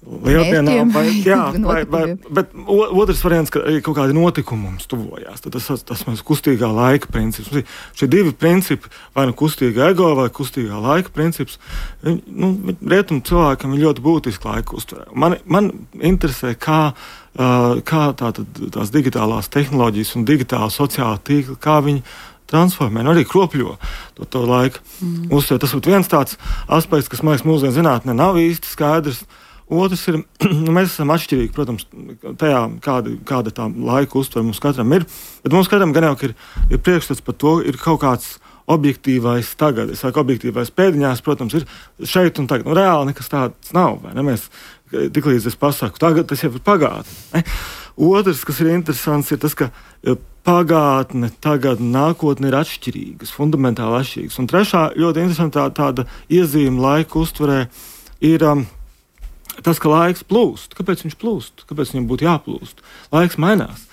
lieldienā, vai, jā, vai, vai, bet otrs variants, ka kaut kādi notikumi mums tuvojās. Tad tas, tas mēs kustīgā laika princips. Šie divi principi, vai nu kustīgā ego, vai kustīgā laika princips, nu, rietumu cilvēkam ir ļoti būtiski laika uztverē. Man, man interesē, kā, kā tā, tās digitālās tehnoloģijas un digitāla sociāla tīkla, kā viņi transformē, nu arī kropļo to, to laiku mm. uztver. Tas ir viens tāds aspekts, kas, man liekas, mūsdienu zinātnē nav īsti skaidrs. Otrs ir, nu, mēs esam atšķirīgi, protams, tajā, kāda, kāda tā laika uztvere mums katram ir, bet mums katram gan jau ir, ir priekšstats par to, ir kaut kāds objektīvais tagad. Es saku, objektīvais pēdiņās, protams, ir šeit un tagad. Nu, reāli nekas tāds nav, vai ne? Mēs, tiklīdz es pasaku, tagad tas jau ir pagātne. Otrs, kas ir interesants, ir tas, ka pagātne, tagad, nākotne ir atšķirīgas, fundamentāli atšķirīgas. Un trešā ļoti interesanta tā, tāda iezīme laika uztverē ir um, tas, ka laiks plūst. Kāpēc viņš plūst? Kāpēc viņam būtu jāplūst? Laiks mainās.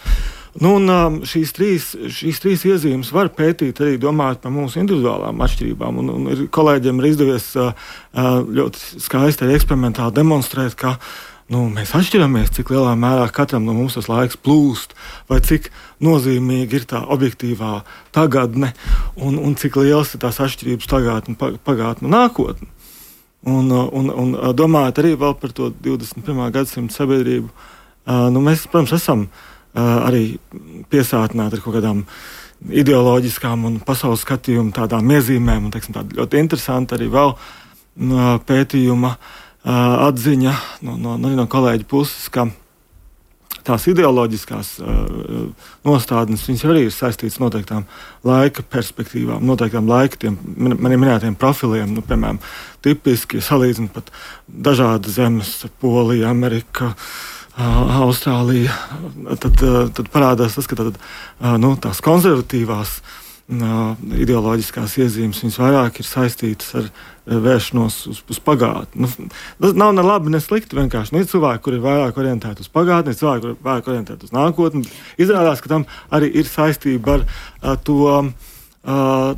Nu, un, um, šīs, trīs, šīs trīs iezīmes var pētīt arī domājot par mūsu individuālām atšķirībām. Un, un ir, kolēģiem ir izdevies uh, ļoti skaisti arī eksperimentāli demonstrēt, ka nu, mēs atšķiramies, cik lielā mērā katram no mums tas laiks plūst, vai cik nozīmīgi ir tā objektīvā tagadne, un, un cik liels ir tās atšķirības tagadne, pagātne un nākotne. Un, un, un domājot arī vēl par to divdesmit pirmā gadsimta sabiedrību, nu, mēs, protams, esam arī piesātināti ar kaut kādām ideoloģiskām un pasaules skatījumu tādām iezīmēm, un, teiksim, tāda ļoti interesanta arī vēl pētījuma atziņa no, no, no kolēģa puses, ka tās ideoloģiskās uh, nostādnes, viņas arī ir saistītas noteiktām laika perspektīvām, noteiktām laika tiem maniem minētiem profiliem, nu, piemēram, tipiski salīdzinot pat dažādas zemes, Polija, Amerika, uh, Austrālija, tad, uh, tad parādās tas, ka tad, uh, nu, tās konservatīvās Uh, ideoloģiskās iezīmes, viņas vairāk ir saistītas ar uh, vēršanos uz, uz pagātni. Nu, tas nav ne labi, ne slikti. Vienkārši nu, ir cilvēki, kuri ir vairāk orientēti uz pagātni, ir cilvēki, kuri ir vairāk orientēti uz nākotni. Izrādās, ka tam arī ir saistība ar uh, to uh,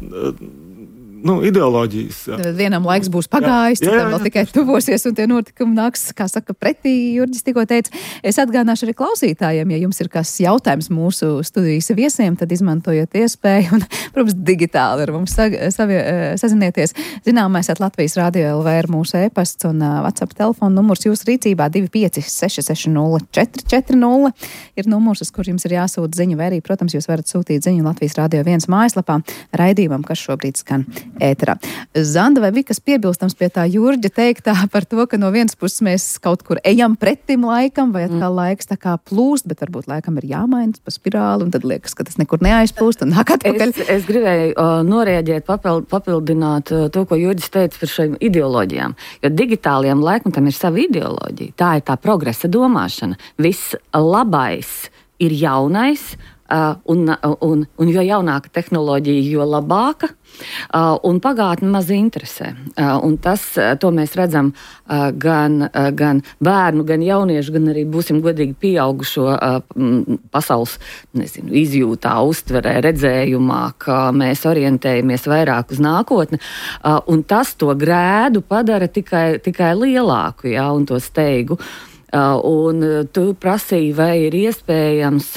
nu, ideoloģijas. Vienam laiks būs pagājis, jā, jā, jā, citam vēl tikai tuvosies, un tie notikumi nāks, kā saka, pretī. Jurģis tikko teica. Es atgādināšu arī klausītājiem, ja jums ir kas jautājums mūsu studijas viesiem, tad izmantojot iespēju un, protams, digitāli ar mums sa, savi, sazinieties. Zināmais at Latvijas Radio L V ir mūsu e-pasts un uh, WhatsApp telefona numurs jūsu rīcībā divi pieci seši seši nulle četri četri nulle ir numurs, uz kur jums ir jāsūta ziņu, vai arī, protams, jūs varat sūtīt ziņu Latvijas Radio viens mājaslapā raidījumam, kas šobrīd skan ēterā. Zanda, vai bija kas piebilstams pie tā Jurģa teiktā par to, ka no vienas puses mēs kaut kur ejam pretim laikam, vai atkal mm. laiks tā kā plūst, bet varbūt laikam ir jāmaina pa spirāli, un tad liekas, ka tas nekur neaizplūst un nāk atpakaļ. Es, es gribēju uh, norēģēt, papild, papildināt uh, to, ko Jurģis teica par šīm ideoloģijām, jo digitālajam laikmetam ir sava ideoloģija. Tā ir tā progresa domāšana. Viss labais ir jaunais, Uh, un, un, un jo jaunāka tehnoloģija, jo labāka, uh, un pagātne maz interesē. Uh, un tas, uh, to mēs redzam uh, gan, uh, gan bērnu, gan jauniešu, gan arī, būsim godīgi, pieaugušo uh, pasaules, nezinu, izjūtā, uztverē, redzējumā, ka mēs orientējamies vairāk uz nākotni, uh, un tas to grēdu padara tikai, tikai lielāku, jā, un to steigu. Uh, un tu prasīji, vai ir iespējams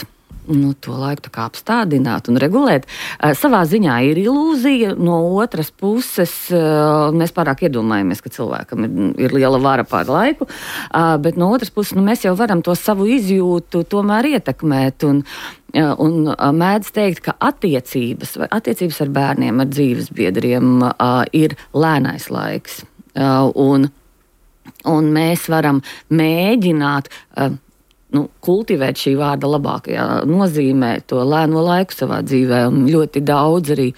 nu, to laiku tā kā apstādināt un regulēt. Uh, savā ziņā ir ilūzija, no otras puses uh, mēs pārāk iedomājamies, ka cilvēkam ir, ir liela vara pār laiku, uh, bet no otras puses nu, mēs jau varam to savu izjūtu tomēr ietekmēt un, uh, un uh, mēdz teikt, ka attiecības, vai attiecības ar bērniem, ar dzīvesbiedriem uh, ir lēnais laiks. Uh, un, un mēs varam mēģināt uh, Nu, kultivēt šī vārda labākajā nozīmē, to lēno laiku savā dzīvē. Un ļoti daudz arī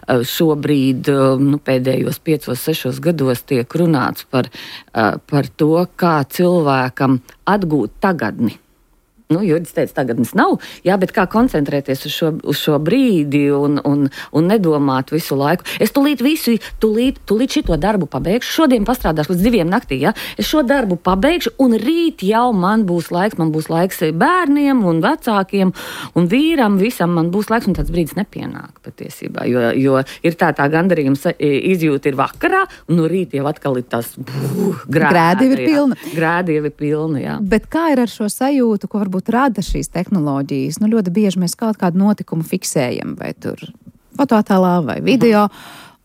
šobrīd, nu, pēdējos piecos, sešos gados tiek runāts par, par to, kā cilvēkam atgūt tagadni. Nu, Jurģis teica, tagadnes nav, jā, bet kā koncentrēties uz šo, uz šo brīdi un, un, un nedomāt visu laiku. Es tulīt visu, tulīt, tulīt šito darbu pabeigšu, šodien pastrādāšu līdz diviem naktī, jā. Es šo darbu pabeigšu un rīt jau man būs laiks, man būs laiks bērniem un vecākiem un vīram, visam man būs laiks, un tāds brīdis nepienāk patiesībā, jo, jo ir tā tā gandarījuma izjūta ir vakarā, un no rīt jau atkal ir tas buh, grēdi. Grēdi ir pilna. Grēdi ir pilna, jā. Bet kā ir ar šo sajūtu, ko varbūt rada šīs tehnoloģijas? Nu, ļoti bieži mēs kaut kādu notikumu fiksējam, vai tur fotoattēlā vai video,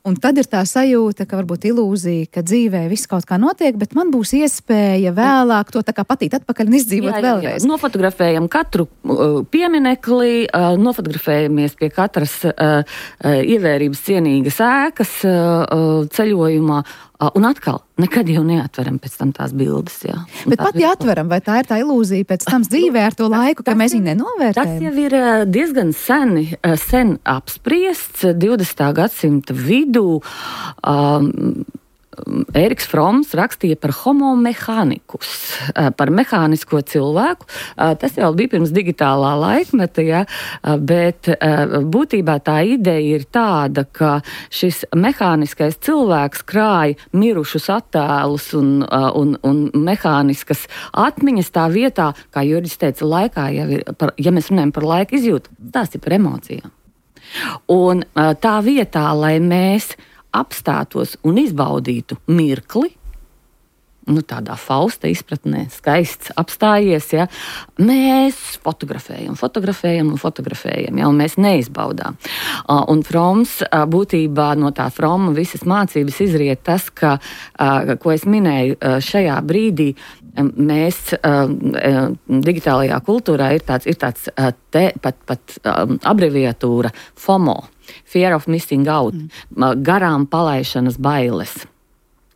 un tad ir tā sajūta, ka varbūt ilūzija, ka dzīvē viss kaut kā notiek, bet man būs iespēja vēlāk to tā kā patīt atpakaļ un izdzīvot jā, jā, vēlreiz. Jā. Nofotografējam katru uh, pieminekli, uh, nofotografējamies pie katras uh, uh, ievērības cienīgas ēkas uh, ceļojumā, uh, un atkal nekad jau neatveram pēc tam tās bildes. Jā. Bet pat ja atveram, vai tā ir tā ilūzija pēc tam dzīvē ar to laiku, ka mēs viņu nenovērtējam? Tas jau ir uh, diezgan seni, uh, sen apspriests divdesmitā gadsimta vidū. Um, Ēriks Froms rakstīja par homo mehānikus, par mehānisko cilvēku. Tas jau bija pirms digitālā laikmeta, ja, bet būtībā tā ideja ir tāda, ka šis mehāniskais cilvēks krāja mirušus attēlus un, un, un mehāniskas atmiņas tā vietā, kā Jurģis teica, laikā jau ir, par, ja mēs runājam par laika izjūtu, tās ir par emocijām. Un tā vietā, lai mēs apstātos un izbaudītu mirkli, nu tādā Fausta izpratnē, skaists apstājies, ja, mēs fotografējam, fotografējam un fotografējam, ja, un mēs neizbaudām. Uh, un Froms uh, būtībā no tā Froma visas mācības izriet tas, ka, uh, ko es minēju uh, šajā brīdī, um, mēs uh, digitālajā kultūrā ir tāds, ir tāds uh, te, pat, pat um, abreviatūra FOMO. Fear of missing out, mm. garām palaišanas bailes.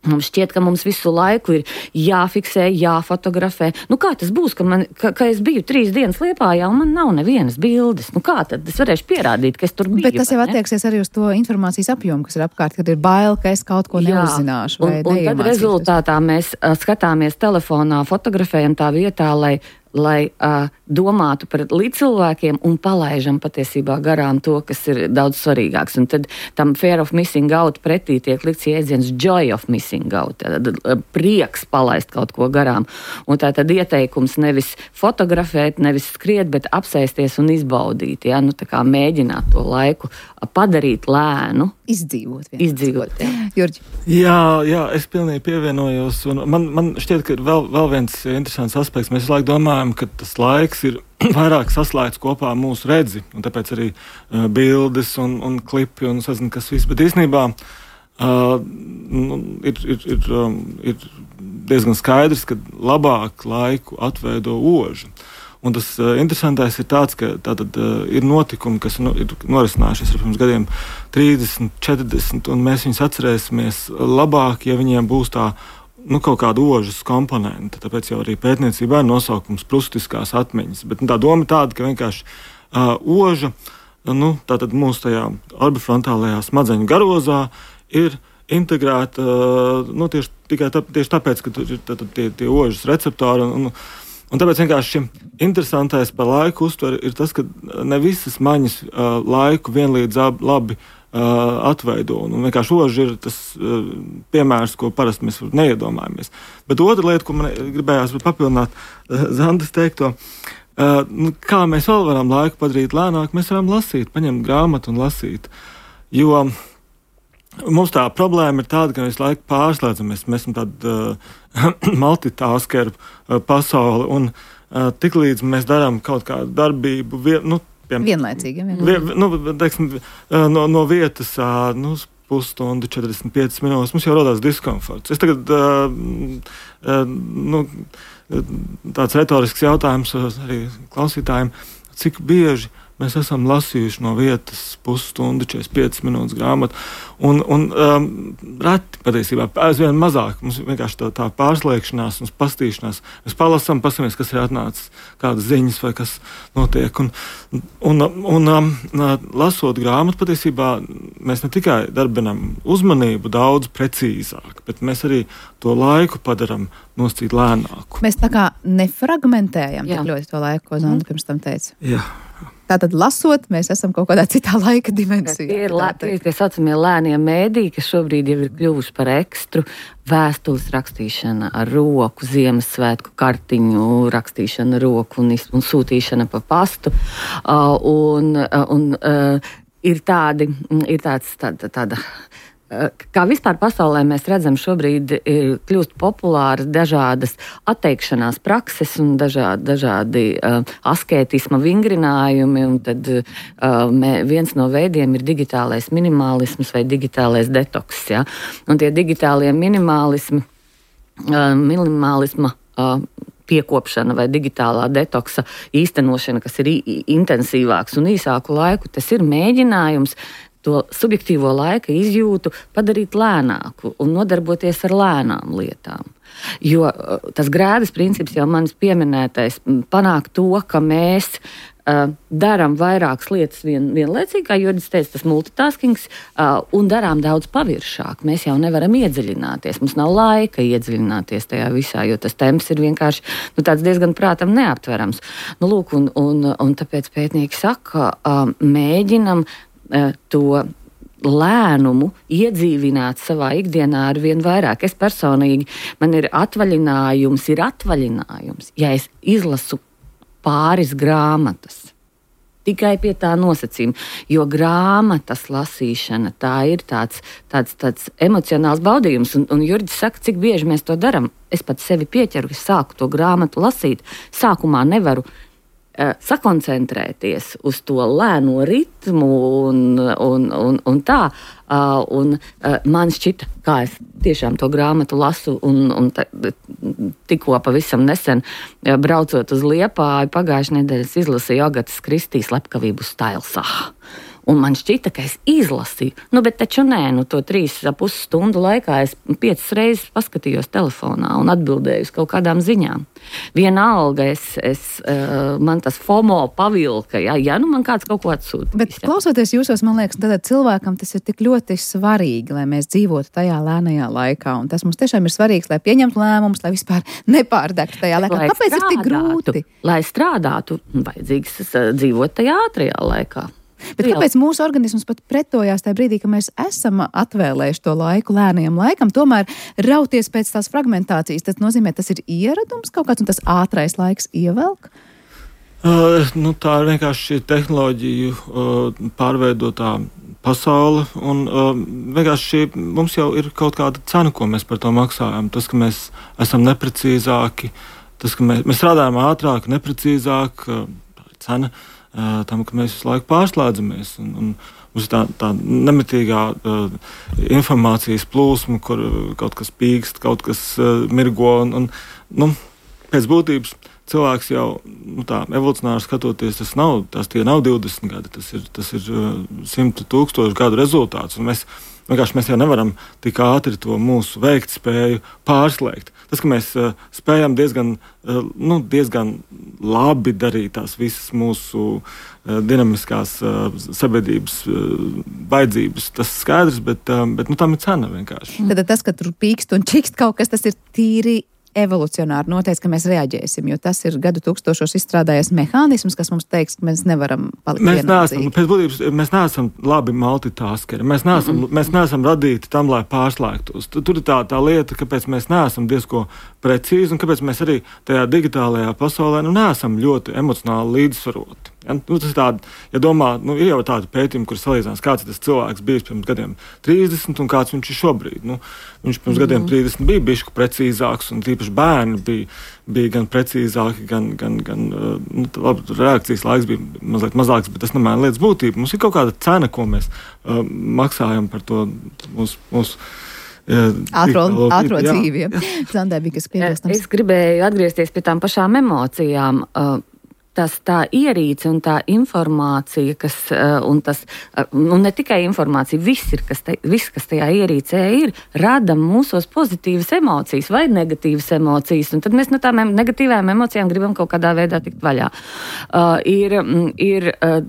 Mums šķiet, ka mums visu laiku ir jāfiksē, jāfotografē. Nu, kā tas būs, ka, man, ka, ka es biju trīs dienas Liepājā un man nav nevienas bildes? Nu, kā tad es varēšu pierādīt, ka es tur biju? Bet tas jau attieksies arī uz to informācijas apjomu, kas ir apkārt, kad ir bail, ka es kaut ko neuzzināšu. Un, un tad rezultātā mēs uh, skatāmies telefonā, fotografējam tā vietā, lai lai uh, domātu par līdzcilvēkiem un palaižam patiesībā garām to, kas ir daudz svarīgāks. Un tad tam fear of missing out pretī tiek likts jēdziens joy of missing out, tad uh, prieks palaist kaut ko garām. Un tā tad ieteikums nevis fotografēt, nevis skriet, bet apsēsties un izbaudīt, ja? Nu, tā kā mēģināt to laiku padarīt lēnu. Izdzīvot. Izdzīvot, jā. Jurģi. Jā, jā, es pilnīgi pievienojos. Un man, man šķiet, ka vēl, vēl viens interesants aspekts. Mēs laiku domājam, ka tas laiks ir vairāk saslēgts kopā ar mūsu redzi, un tāpēc arī uh, bildes un, un klipi un sazinu, kas viss. Bet īstenībā uh, nu, ir, ir, ir, um, ir diezgan skaidrs, ka labāk laiku atveido oža. Un tas uh, interesantais ir tāds, ka tātad, uh, ir notikumi, kas nu, ir norisinājušies ar pirms gadiem trīsdesmit, četrdesmit, un mēs viņus atcerēsimies labāk, ja viņiem būs tā nu, kaut kāda ožas komponente. Tāpēc jau arī pētniecībā ir nosaukums prustiskās atmiņas. Bet nu, tā doma ir tāda, ka vienkārši uh, oža, nu, tātad mūsu tajā orbifrontālajā smadzeņu garozā ir integrēta uh, nu, tieši, tikai tā, tieši tāpēc, ka tur ir tātad, tie, tie ožas receptori. Un, un, un tāpēc vienkārši interesantais par laiku uztveri ir tas, ka ne visas maņas uh, laiku vienlīdz labi Uh, atveido. Un vienkārši oža ir tas uh, piemērs, ko parasti mēs neiedomājamies. Bet otra lieta, ko man gribējās papildināt uh, Zandas teikto, uh, nu, kā mēs vēl varam laiku padarīt lēnāk, mēs varam lasīt, paņemt grāmatu un lasīt. Jo mums tā problēma ir tāda, ka mēs laiku pārslēdzamies. Mēs esam tāda uh, multitaskeru uh, pasauli, un uh, tiklīdz mēs darām kaut kādu darbību, vien, nu, vienlaicīgi, vienlaicīgi. Vie, nu, teiksim, no, no vietas nu, pusstundu, četrdesmit piecas minūtes mums jau rodās diskomforts. Es tagad uh, uh, nu, tāds retorisks jautājums arī klausītājiem, cik bieži mēs esam lasījuši no vietas pusstundu, četrdesmit piecas minūtes grāmatu, un, un um, reti patiesībā aizvien mazāk. Mums vienkārši tā, tā pārslēgšanās un pastīšanās. Mēs palasām, pasamies, kas ir atnācis, kādas ziņas vai kas notiek. Un, un, un um, lasot grāmatu, patiesībā mēs ne tikai darbinam uzmanību daudz precīzāk, bet mēs arī to laiku padaram noscīt lēnāku. Mēs tā kā nefragmentējam tik ļoti to laiku, ko Zanda pirms tam teica. Jā. Tātad, lasot, mēs esam kaut kādā citā laika dimensijā. Tie ir, lē, tie ir tie saucamie lēnie mēdī, kas šobrīd jau ir kļuvuši par ekstru. Vēstules rakstīšana ar roku, Ziemassvētku kartiņu rakstīšana ar roku un, un sūtīšana pa pastu. Uh, un un uh, ir, tādi, ir tāds, tāda... tāda Kā vispār pasaulē mēs redzam, šobrīd kļūst populāras dažādas atteikšanās prakses un dažādi, dažādi uh, askētisma vingrinājumi. Un tad uh, mē, viens no veidiem ir digitālais minimālisms vai digitālais detoks. Ja? Un tie digitālie minimālismi, uh, minimālisma uh, piekopšana vai digitālā detoksa īstenošana, kas ir intensīvāks un īsāku laiku, tas ir mēģinājums to subjektīvo laika izjūtu padarīt lēnāku un nodarboties ar lēnām lietām. Jo tas grēdas princips jau manis pieminētais panāk to, ka mēs uh, darām vairākas lietas vien, vienlaicīgi, kā Jurģis teica, tas multitaskings, uh, un darām daudz paviršāk. Mēs jau nevaram iedziļināties, mums nav laika iedziļināties tajā visā, jo tas temps ir vienkārši nu, tāds diezgan prātam neaptverams. Nu, lūk, un, un, un tāpēc pētnieki saka, uh, mēģinam to lēnumu iedzīvināt savā ikdienā ar vien vairāk. Es personīgi, man ir atvaļinājums, ir atvaļinājums, ja es izlasu pāris grāmatas. Tikai pie tā nosacījuma, jo grāmatas lasīšana, tā ir tāds, tāds, tāds emocionāls baudījums. Un, un Jurģis saka, cik bieži mēs to darām. Es pat sevi pieķeru, es sāku to grāmatu lasīt. Sākumā nevaru sakoncentrēties uz to lēno ritmu un, un, un, un tā. Un man šķita, kā es tiešām to grāmatu lasu un, un ta, tikko pavisam nesen braucot uz Liepāju, pagājušajā nedēļā izlasīju Agatas Kristīs Slepkavību Stailsā. Un man šķita, ka es izlasīju. Nu, bet taču nē, nu to trīs pus stundu laikā es piecas reizes paskatījos telefonā un atbildēju uz kaut kādām ziņām. Vienalga, es, es, uh, man tas FOMO pavilka, ja, ja nu man kāds kaut ko atsūta. Bet klausoties jūsos, man liekas, tad cilvēkam tas ir tik ļoti svarīgi, lai mēs dzīvotu tajā lēnajā laikā. Un tas mums tiešām ir svarīgs, lai pieņemtu lēmumus, lai vispār nepārdegtu tajā laikā. Lai Kāpēc ir tik grūti? Lai strādātu, vajadzīgs dzīvot tajā ātrajā laikā. Bet kāpēc mūsu organisms pat pretojās tajā brīdī, ka mēs esam atvēlējuši to laiku lēnajam laikam, tomēr rauties pēc tās fragmentācijas? Tas nozīmē, tas ir ieradums kaut kāds un tas ātrais laiks ievelk? Uh, nu, tā ir vienkārši šī tehnoloģiju uh, pārveidotā pasaule, un uh, vienkārši šī, mums jau ir kaut kāda cena, ko mēs par to maksājam. Tas, ka mēs esam neprecīzāki, tas, ka mēs, mēs strādājam ātrāk, neprecīzāk, uh, cena uh, tam, ka mēs visu laiku pārslēdzamies. Un, un mums ir tā, tā nemitīgā uh, informācijas plūsma, kur kaut kas pīkst, kaut kas uh, mirgo, un, un nu, pēc būtības cilvēks jau, nu tā, evolucionāri skatoties, tas nav, tas tie nav divdesmit gadi, tas ir, tas ir simti tūkstoši gadu rezultāts, un mēs vienkārši mēs jau nevaram tik ātri to mūsu veiktspēju pārslēgt. Tas, ka mēs uh, spējam diezgan, uh, nu, diezgan labi darīt tās visas mūsu uh, dinamiskās uh, sabiedrības uh, vajadzības, tas skaidrs, bet, uh, bet nu, tam ir cena vienkārši. Tad tas, ka tur pīkst un čikst kaut kas, tas ir tīri evolucionāri noteikts, ka mēs reaģēsim, jo tas ir gadu tūkstošos izstrādājies mehānisms, kas mums teiks, ka mēs nevaram palikt mēs vienaldzīgi. Neesam, pēc būtības, mēs neesam labi multitaskeri, mēs neesam, mm-hmm. mēs neesam radīti tam, lai pārslēgtos. Tur ir tā, tā lieta, kāpēc mēs neesam diezko precīzi un kāpēc mēs arī tajā digitālajā pasaulē nu, neesam ļoti emocionāli līdzsvaroti. Ja, nu, tas ir tādi, ja domā, nu, ir jau tādi pētījumi, kur salīdzinās, kāds ir tas cilvēks bijis pirms gadiem trīsdesmit un kāds viņš ir šobrīd. Nu, viņš pirms mm-hmm. gadiem trīsdesmit bija bišķi precīzāks, un tīpaši bērni bija, bija gan precīzāki, gan, gan, gan nu, labi, reakcijas laiks bija mazliet mazāks, bet tas nemaina lietas būtību. Mums ir kaut kāda cena, ko mēs uh, maksājam par to mūsu. mūsu Ātro, ātro dzīvi. Zandē bija kas piebilstams. Es gribēju atgriezties pie tām pašām emocijām. Tas tā ierīce un tā informācija, kas, un tas, un ne tikai informācija, viss, ir, kas, te, viss, kas tajā ierīcē ir, rada mūsos pozitīvas emocijas vai negatīvas emocijas, un tad mēs no tām negatīvām emocijām gribam kaut kādā veidā tikt vaļā. Uh, ir, ir uh,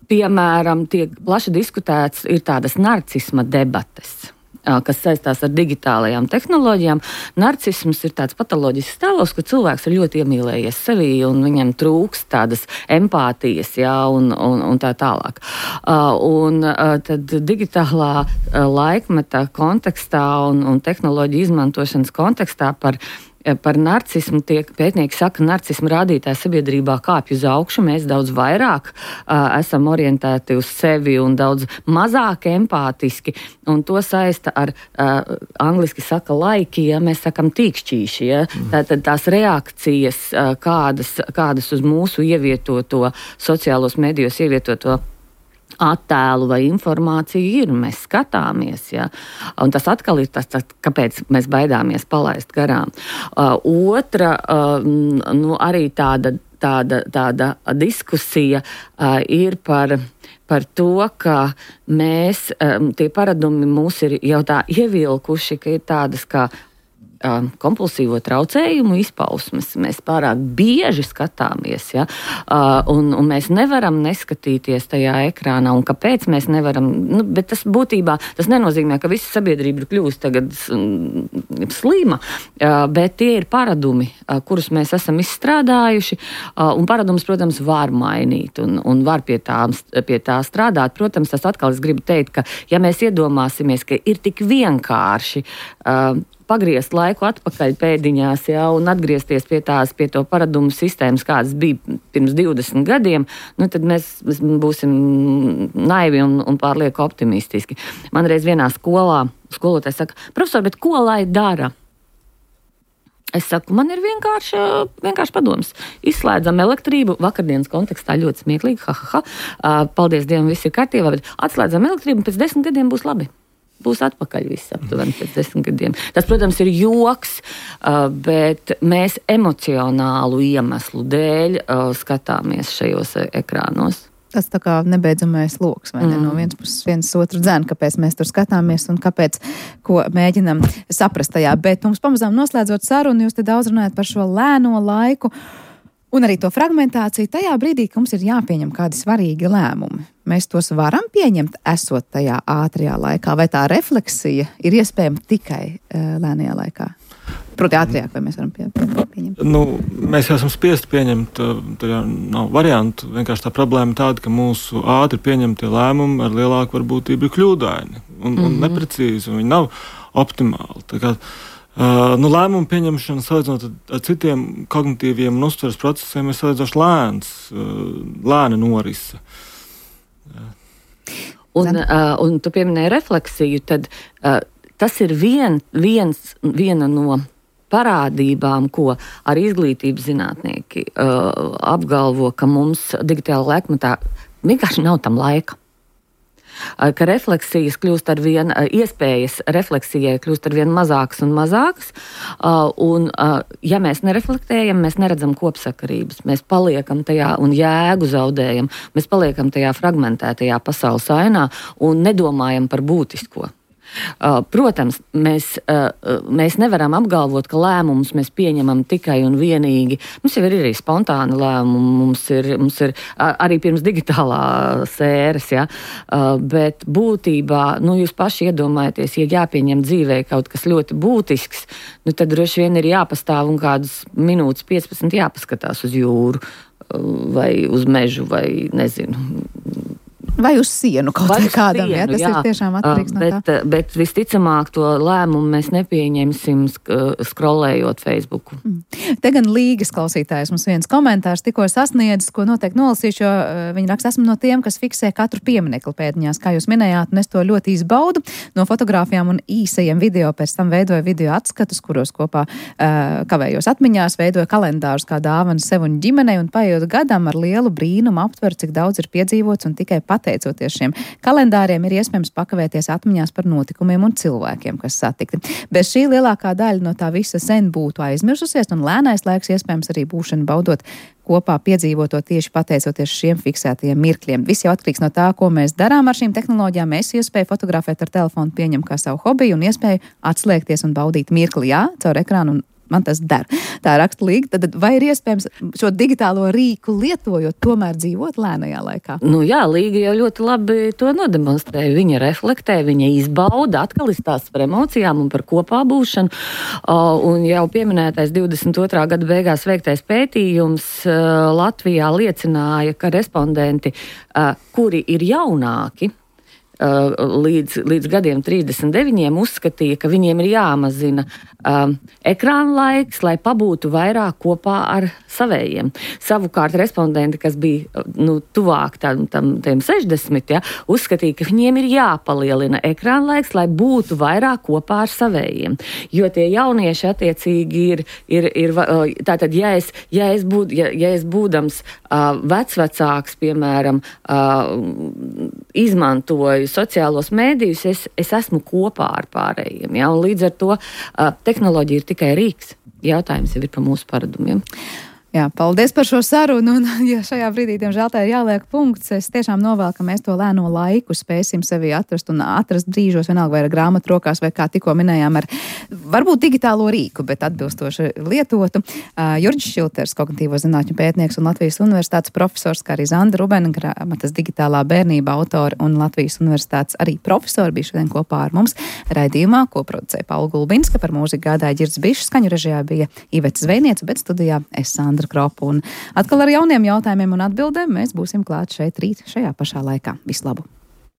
piemēram, tiek plaši diskutēts, ir tādas narcisma debates, kas saistās ar digitālajām tehnoloģijām. Narcisms ir tāds patoloģisks stāvoklis, ka cilvēks ir ļoti iemīlējies sevī un viņam trūkst tādas empātijas, jā, un, un, un tā tālāk. Uh, un uh, tad digitālā uh, laikmeta kontekstā un, un tehnoloģiju izmantošanas kontekstā par Par narcismu tiek pētnieki saka, narcismu rādītāji sabiedrībā kāpj uz augšu, mēs daudz vairāk uh, esam orientēti uz sevi un daudz mazāk empātiski, un to saista ar, uh, angliski saka laiki, ja mēs sakam tīkšķīši, ja, tātad tās reakcijas, uh, kādas, kādas uz mūsu ievietoto, sociālos medijos ievietoto attēlu vai informāciju ir, mēs skatāmies, ja? Un tas atkal ir tas, tas, kāpēc mēs baidāmies palaist garām. Uh, otra, uh, nu, arī tāda, tāda, tāda diskusija uh, ir par, par to, ka mēs, um, tie paradumi mūs ir jau tā ievilkuši, ka ir tādas kā kompulsīvo traucējumu izpausmes. Mēs pārāk bieži skatāmies, ja? un, un mēs nevaram neskatīties tajā ekrānā. Un kāpēc mēs nevaram? Nu, bet tas būtībā, tas nenozīmē, ka visa sabiedrība ir kļuvusi tagad slima, bet tie ir paradumi, kurus mēs esam izstrādājuši, un paradumus, protams, var mainīt un, un var pie tā, pie tā strādāt. Protams, tas atkal es gribu teikt, ka ja mēs iedomāsimies, ka ir tik vienkārši pagriezt laiku atpakaļ pēdiņās, ja, un atgriezties pie tās, pie to paradumu sistēmas, kādas bija pirms divdesmit gadiem, nu, tad mēs, mēs būsim naivi un, un pārlieku optimistiski. Man reiz vienā skolā skolotājs saka, profesor, bet ko lai dara? Es saku, man ir vienkārši, vienkārši padoms. Izslēdzam elektrību, vakardienas kontekstā ļoti smieklīgi, ha, ha, ha, paldies Dievam, viss ir kārtībā, bet atslēdzam elektrību, pēc desmit gadiem būs labi. Būs atpakaļ viss aptuveni pēc desmit gadiem. Tas, protams, ir joks, bet mēs emocionālu iemeslu dēļ skatāmies šajos ekrānos. Tas tā kā nebeidzamais loks, vai ne? Mm. No vienas puses viens otru dzēn, kāpēc mēs tur skatāmies un kāpēc, ko mēģinam saprast tajā. Bet mums pamazām noslēdzot sarunu, jūs te daudz runājat par šo lēno laiku un arī to fragmentāciju tajā brīdī, ka mums ir jāpieņem kādi svarīgi lēmumi. Mēs tos varam pieņemt, esot tajā ātrajā laikā, vai tā refleksija ir iespējama tikai uh, lēnajā laikā? Proti ātrāk, vai mēs varam pie, pie, pieņemt? Nu, mēs esam spiesti pieņemt, tur jau nav variantu. Vienkārši tā problēma tāda, ka mūsu ātri pieņemtie lēmumi ar lielāku varbūtību ir kļūdaini un, mm-hmm. un neprecīzi, un viņi nav optimāli. Tā kā, uh, nu, lēmumu pieņemšana salīdzinot ar citiem kognitīviem un uztveres procesiem ir salīdzinoši lēns, uh, lēna norisa. Un, uh, un tu pieminēji refleksiju, tad uh, tas ir vien, viens, viena no parādībām, ko arī izglītības zinātnieki uh, apgalvo, ka mums digitāla laikmetā vienkārši nav tam laika. Uh, ka refleksijas kļūst ar vien, uh, iespējas refleksijai kļūst ar vien mazākas un mazākas, uh, un uh, ja mēs nereflektējam, mēs neredzam kopsakarības, mēs paliekam tajā un jēgu zaudējam, mēs paliekam tajā fragmentētajā pasaules ainā un nedomājam par būtisko. Uh, protams, mēs, uh, mēs nevaram apgalvot, ka lēmumus mēs pieņemam tikai un vienīgi. Mums jau ir arī spontāni lēmumi, mums ir, mums ir uh, arī pirms digitālās ēras, ja? uh, bet būtībā, nu, jūs paši iedomājaties, ja jāpieņem dzīvē kaut kas ļoti būtisks, nu, tad droši vien ir jāpastāv un kādas minūtes piecpadsmit jāpaskatās uz jūru uh, vai uz mežu vai nezinu. Vai uz sienu kaut vai kādam, sienu, ja? Tas jā. Ir tiešām atkarīgs no bet, tā. Bet visticamāk to lēmumu mēs nepieņemsim skrolējot Facebooku. Mm. Te gan Līgas klausītājs mums viens komentārs tikko sasniedzis, ko noteikti nolasīšu, jo viņi raksta, esmu no tiem, kas fiksē katru pieminekli pēdiņās, kā jūs minējāt, un es to ļoti izbaudu. No fotogrāfijām un īsajiem video pēc tam veidoju video atskatus, kuros kopā uh, kavējos atmiņās, veidoju kalendārus kā dāvanu sev un ģimenei, un paiet gadam ar lielu brīnumu aptver, cik daudz ir piedzīvots, un tikai pateicoties šiem kalendāriem ir iespējams pakavēties atmiņās par notikumiem un cilvēkiem, kas satikti. Bez šī lielākā daļa no tā visa sen būtu aizmirsusies, un lēnais laiks iespējams arī būšana baudot kopā piedzīvoto tieši pateicoties šiem fiksētajiem mirkļiem. Viss jau atkarīgs no tā, ko mēs darām ar šīm tehnoloģijām. Es iespēju fotografēt ar telefonu pieņem kā savu hobiju un iespēju atslēgties un baudīt mirkli, jā, caur ekrānu, un man tas der. Tā raksta Līga. Tad vai ir iespējams šo digitālo rīku lietojot, tomēr dzīvot lēnajā laikā? Nu jā, Līga jau ļoti labi to nodemonstrēja. Viņa reflektē, viņa izbauda, atkal izstāsta par emocijām un par kopā būšanu. Un jau pieminētais divdesmit otrā gada beigās veiktais pētījums Latvijā liecināja, ka respondenti, kuri ir jaunāki, Līdz, līdz gadiem trīsdesmit deviņiem uzskatīja, ka viņiem ir jāmazina um, ekrāna laiks, lai pabūtu vairāk kopā ar savējiem. Savukārt respondenti, kas bija nu, tuvāk tam, tam, tam sešdesmit, ja, uzskatīja, ka viņiem ir jāpalielina ekrāna laiks, lai būtu vairāk kopā ar savējiem. Jo tie jaunieši attiecīgi ir, ir, ir tātad, ja es, ja es, būd, ja, ja es būdams uh, vecvecāks, piemēram, uh, izmantoju sociālos mēdījus, es, es esmu kopā ar pārējiem. Ja? Un līdz ar to uh, tehnoloģija ir tikai rīks. Jautājums jau ir par mūsu paradumiem. Jā, paldies par šo sarunu, un ja šajā brīdī, diemžēl, tā ir jāliek punkts, es tiešām novēlu, ka mēs to lēno laiku spēsim sevi atrast un atrast brīžos, vienalga vai ar grāmatu rokās, vai kā tikko minējām, ar varbūt digitālo rīku, bet atbilstoši lietotu. Uh, Jurģis Šilters, kognitīvo zinātņu pētnieks un Latvijas universitātes profesors, kā arī Zanda Rubena, grāmatas digitālā bērnība autori un Latvijas universitātes arī profesori bija šodien kopā ar mums raidījumā, ko producēja Paula Gulbinska, par mūziku gādāja Ģirds Bišs, skaņu režijā bija Iveta Zvejniece, bet studijā es Sandra Kropa. Un atkal ar jauniem jautājumiem un atbildēm mēs būsim klāt šeit rīt šajā pašā laikā. Visu labu!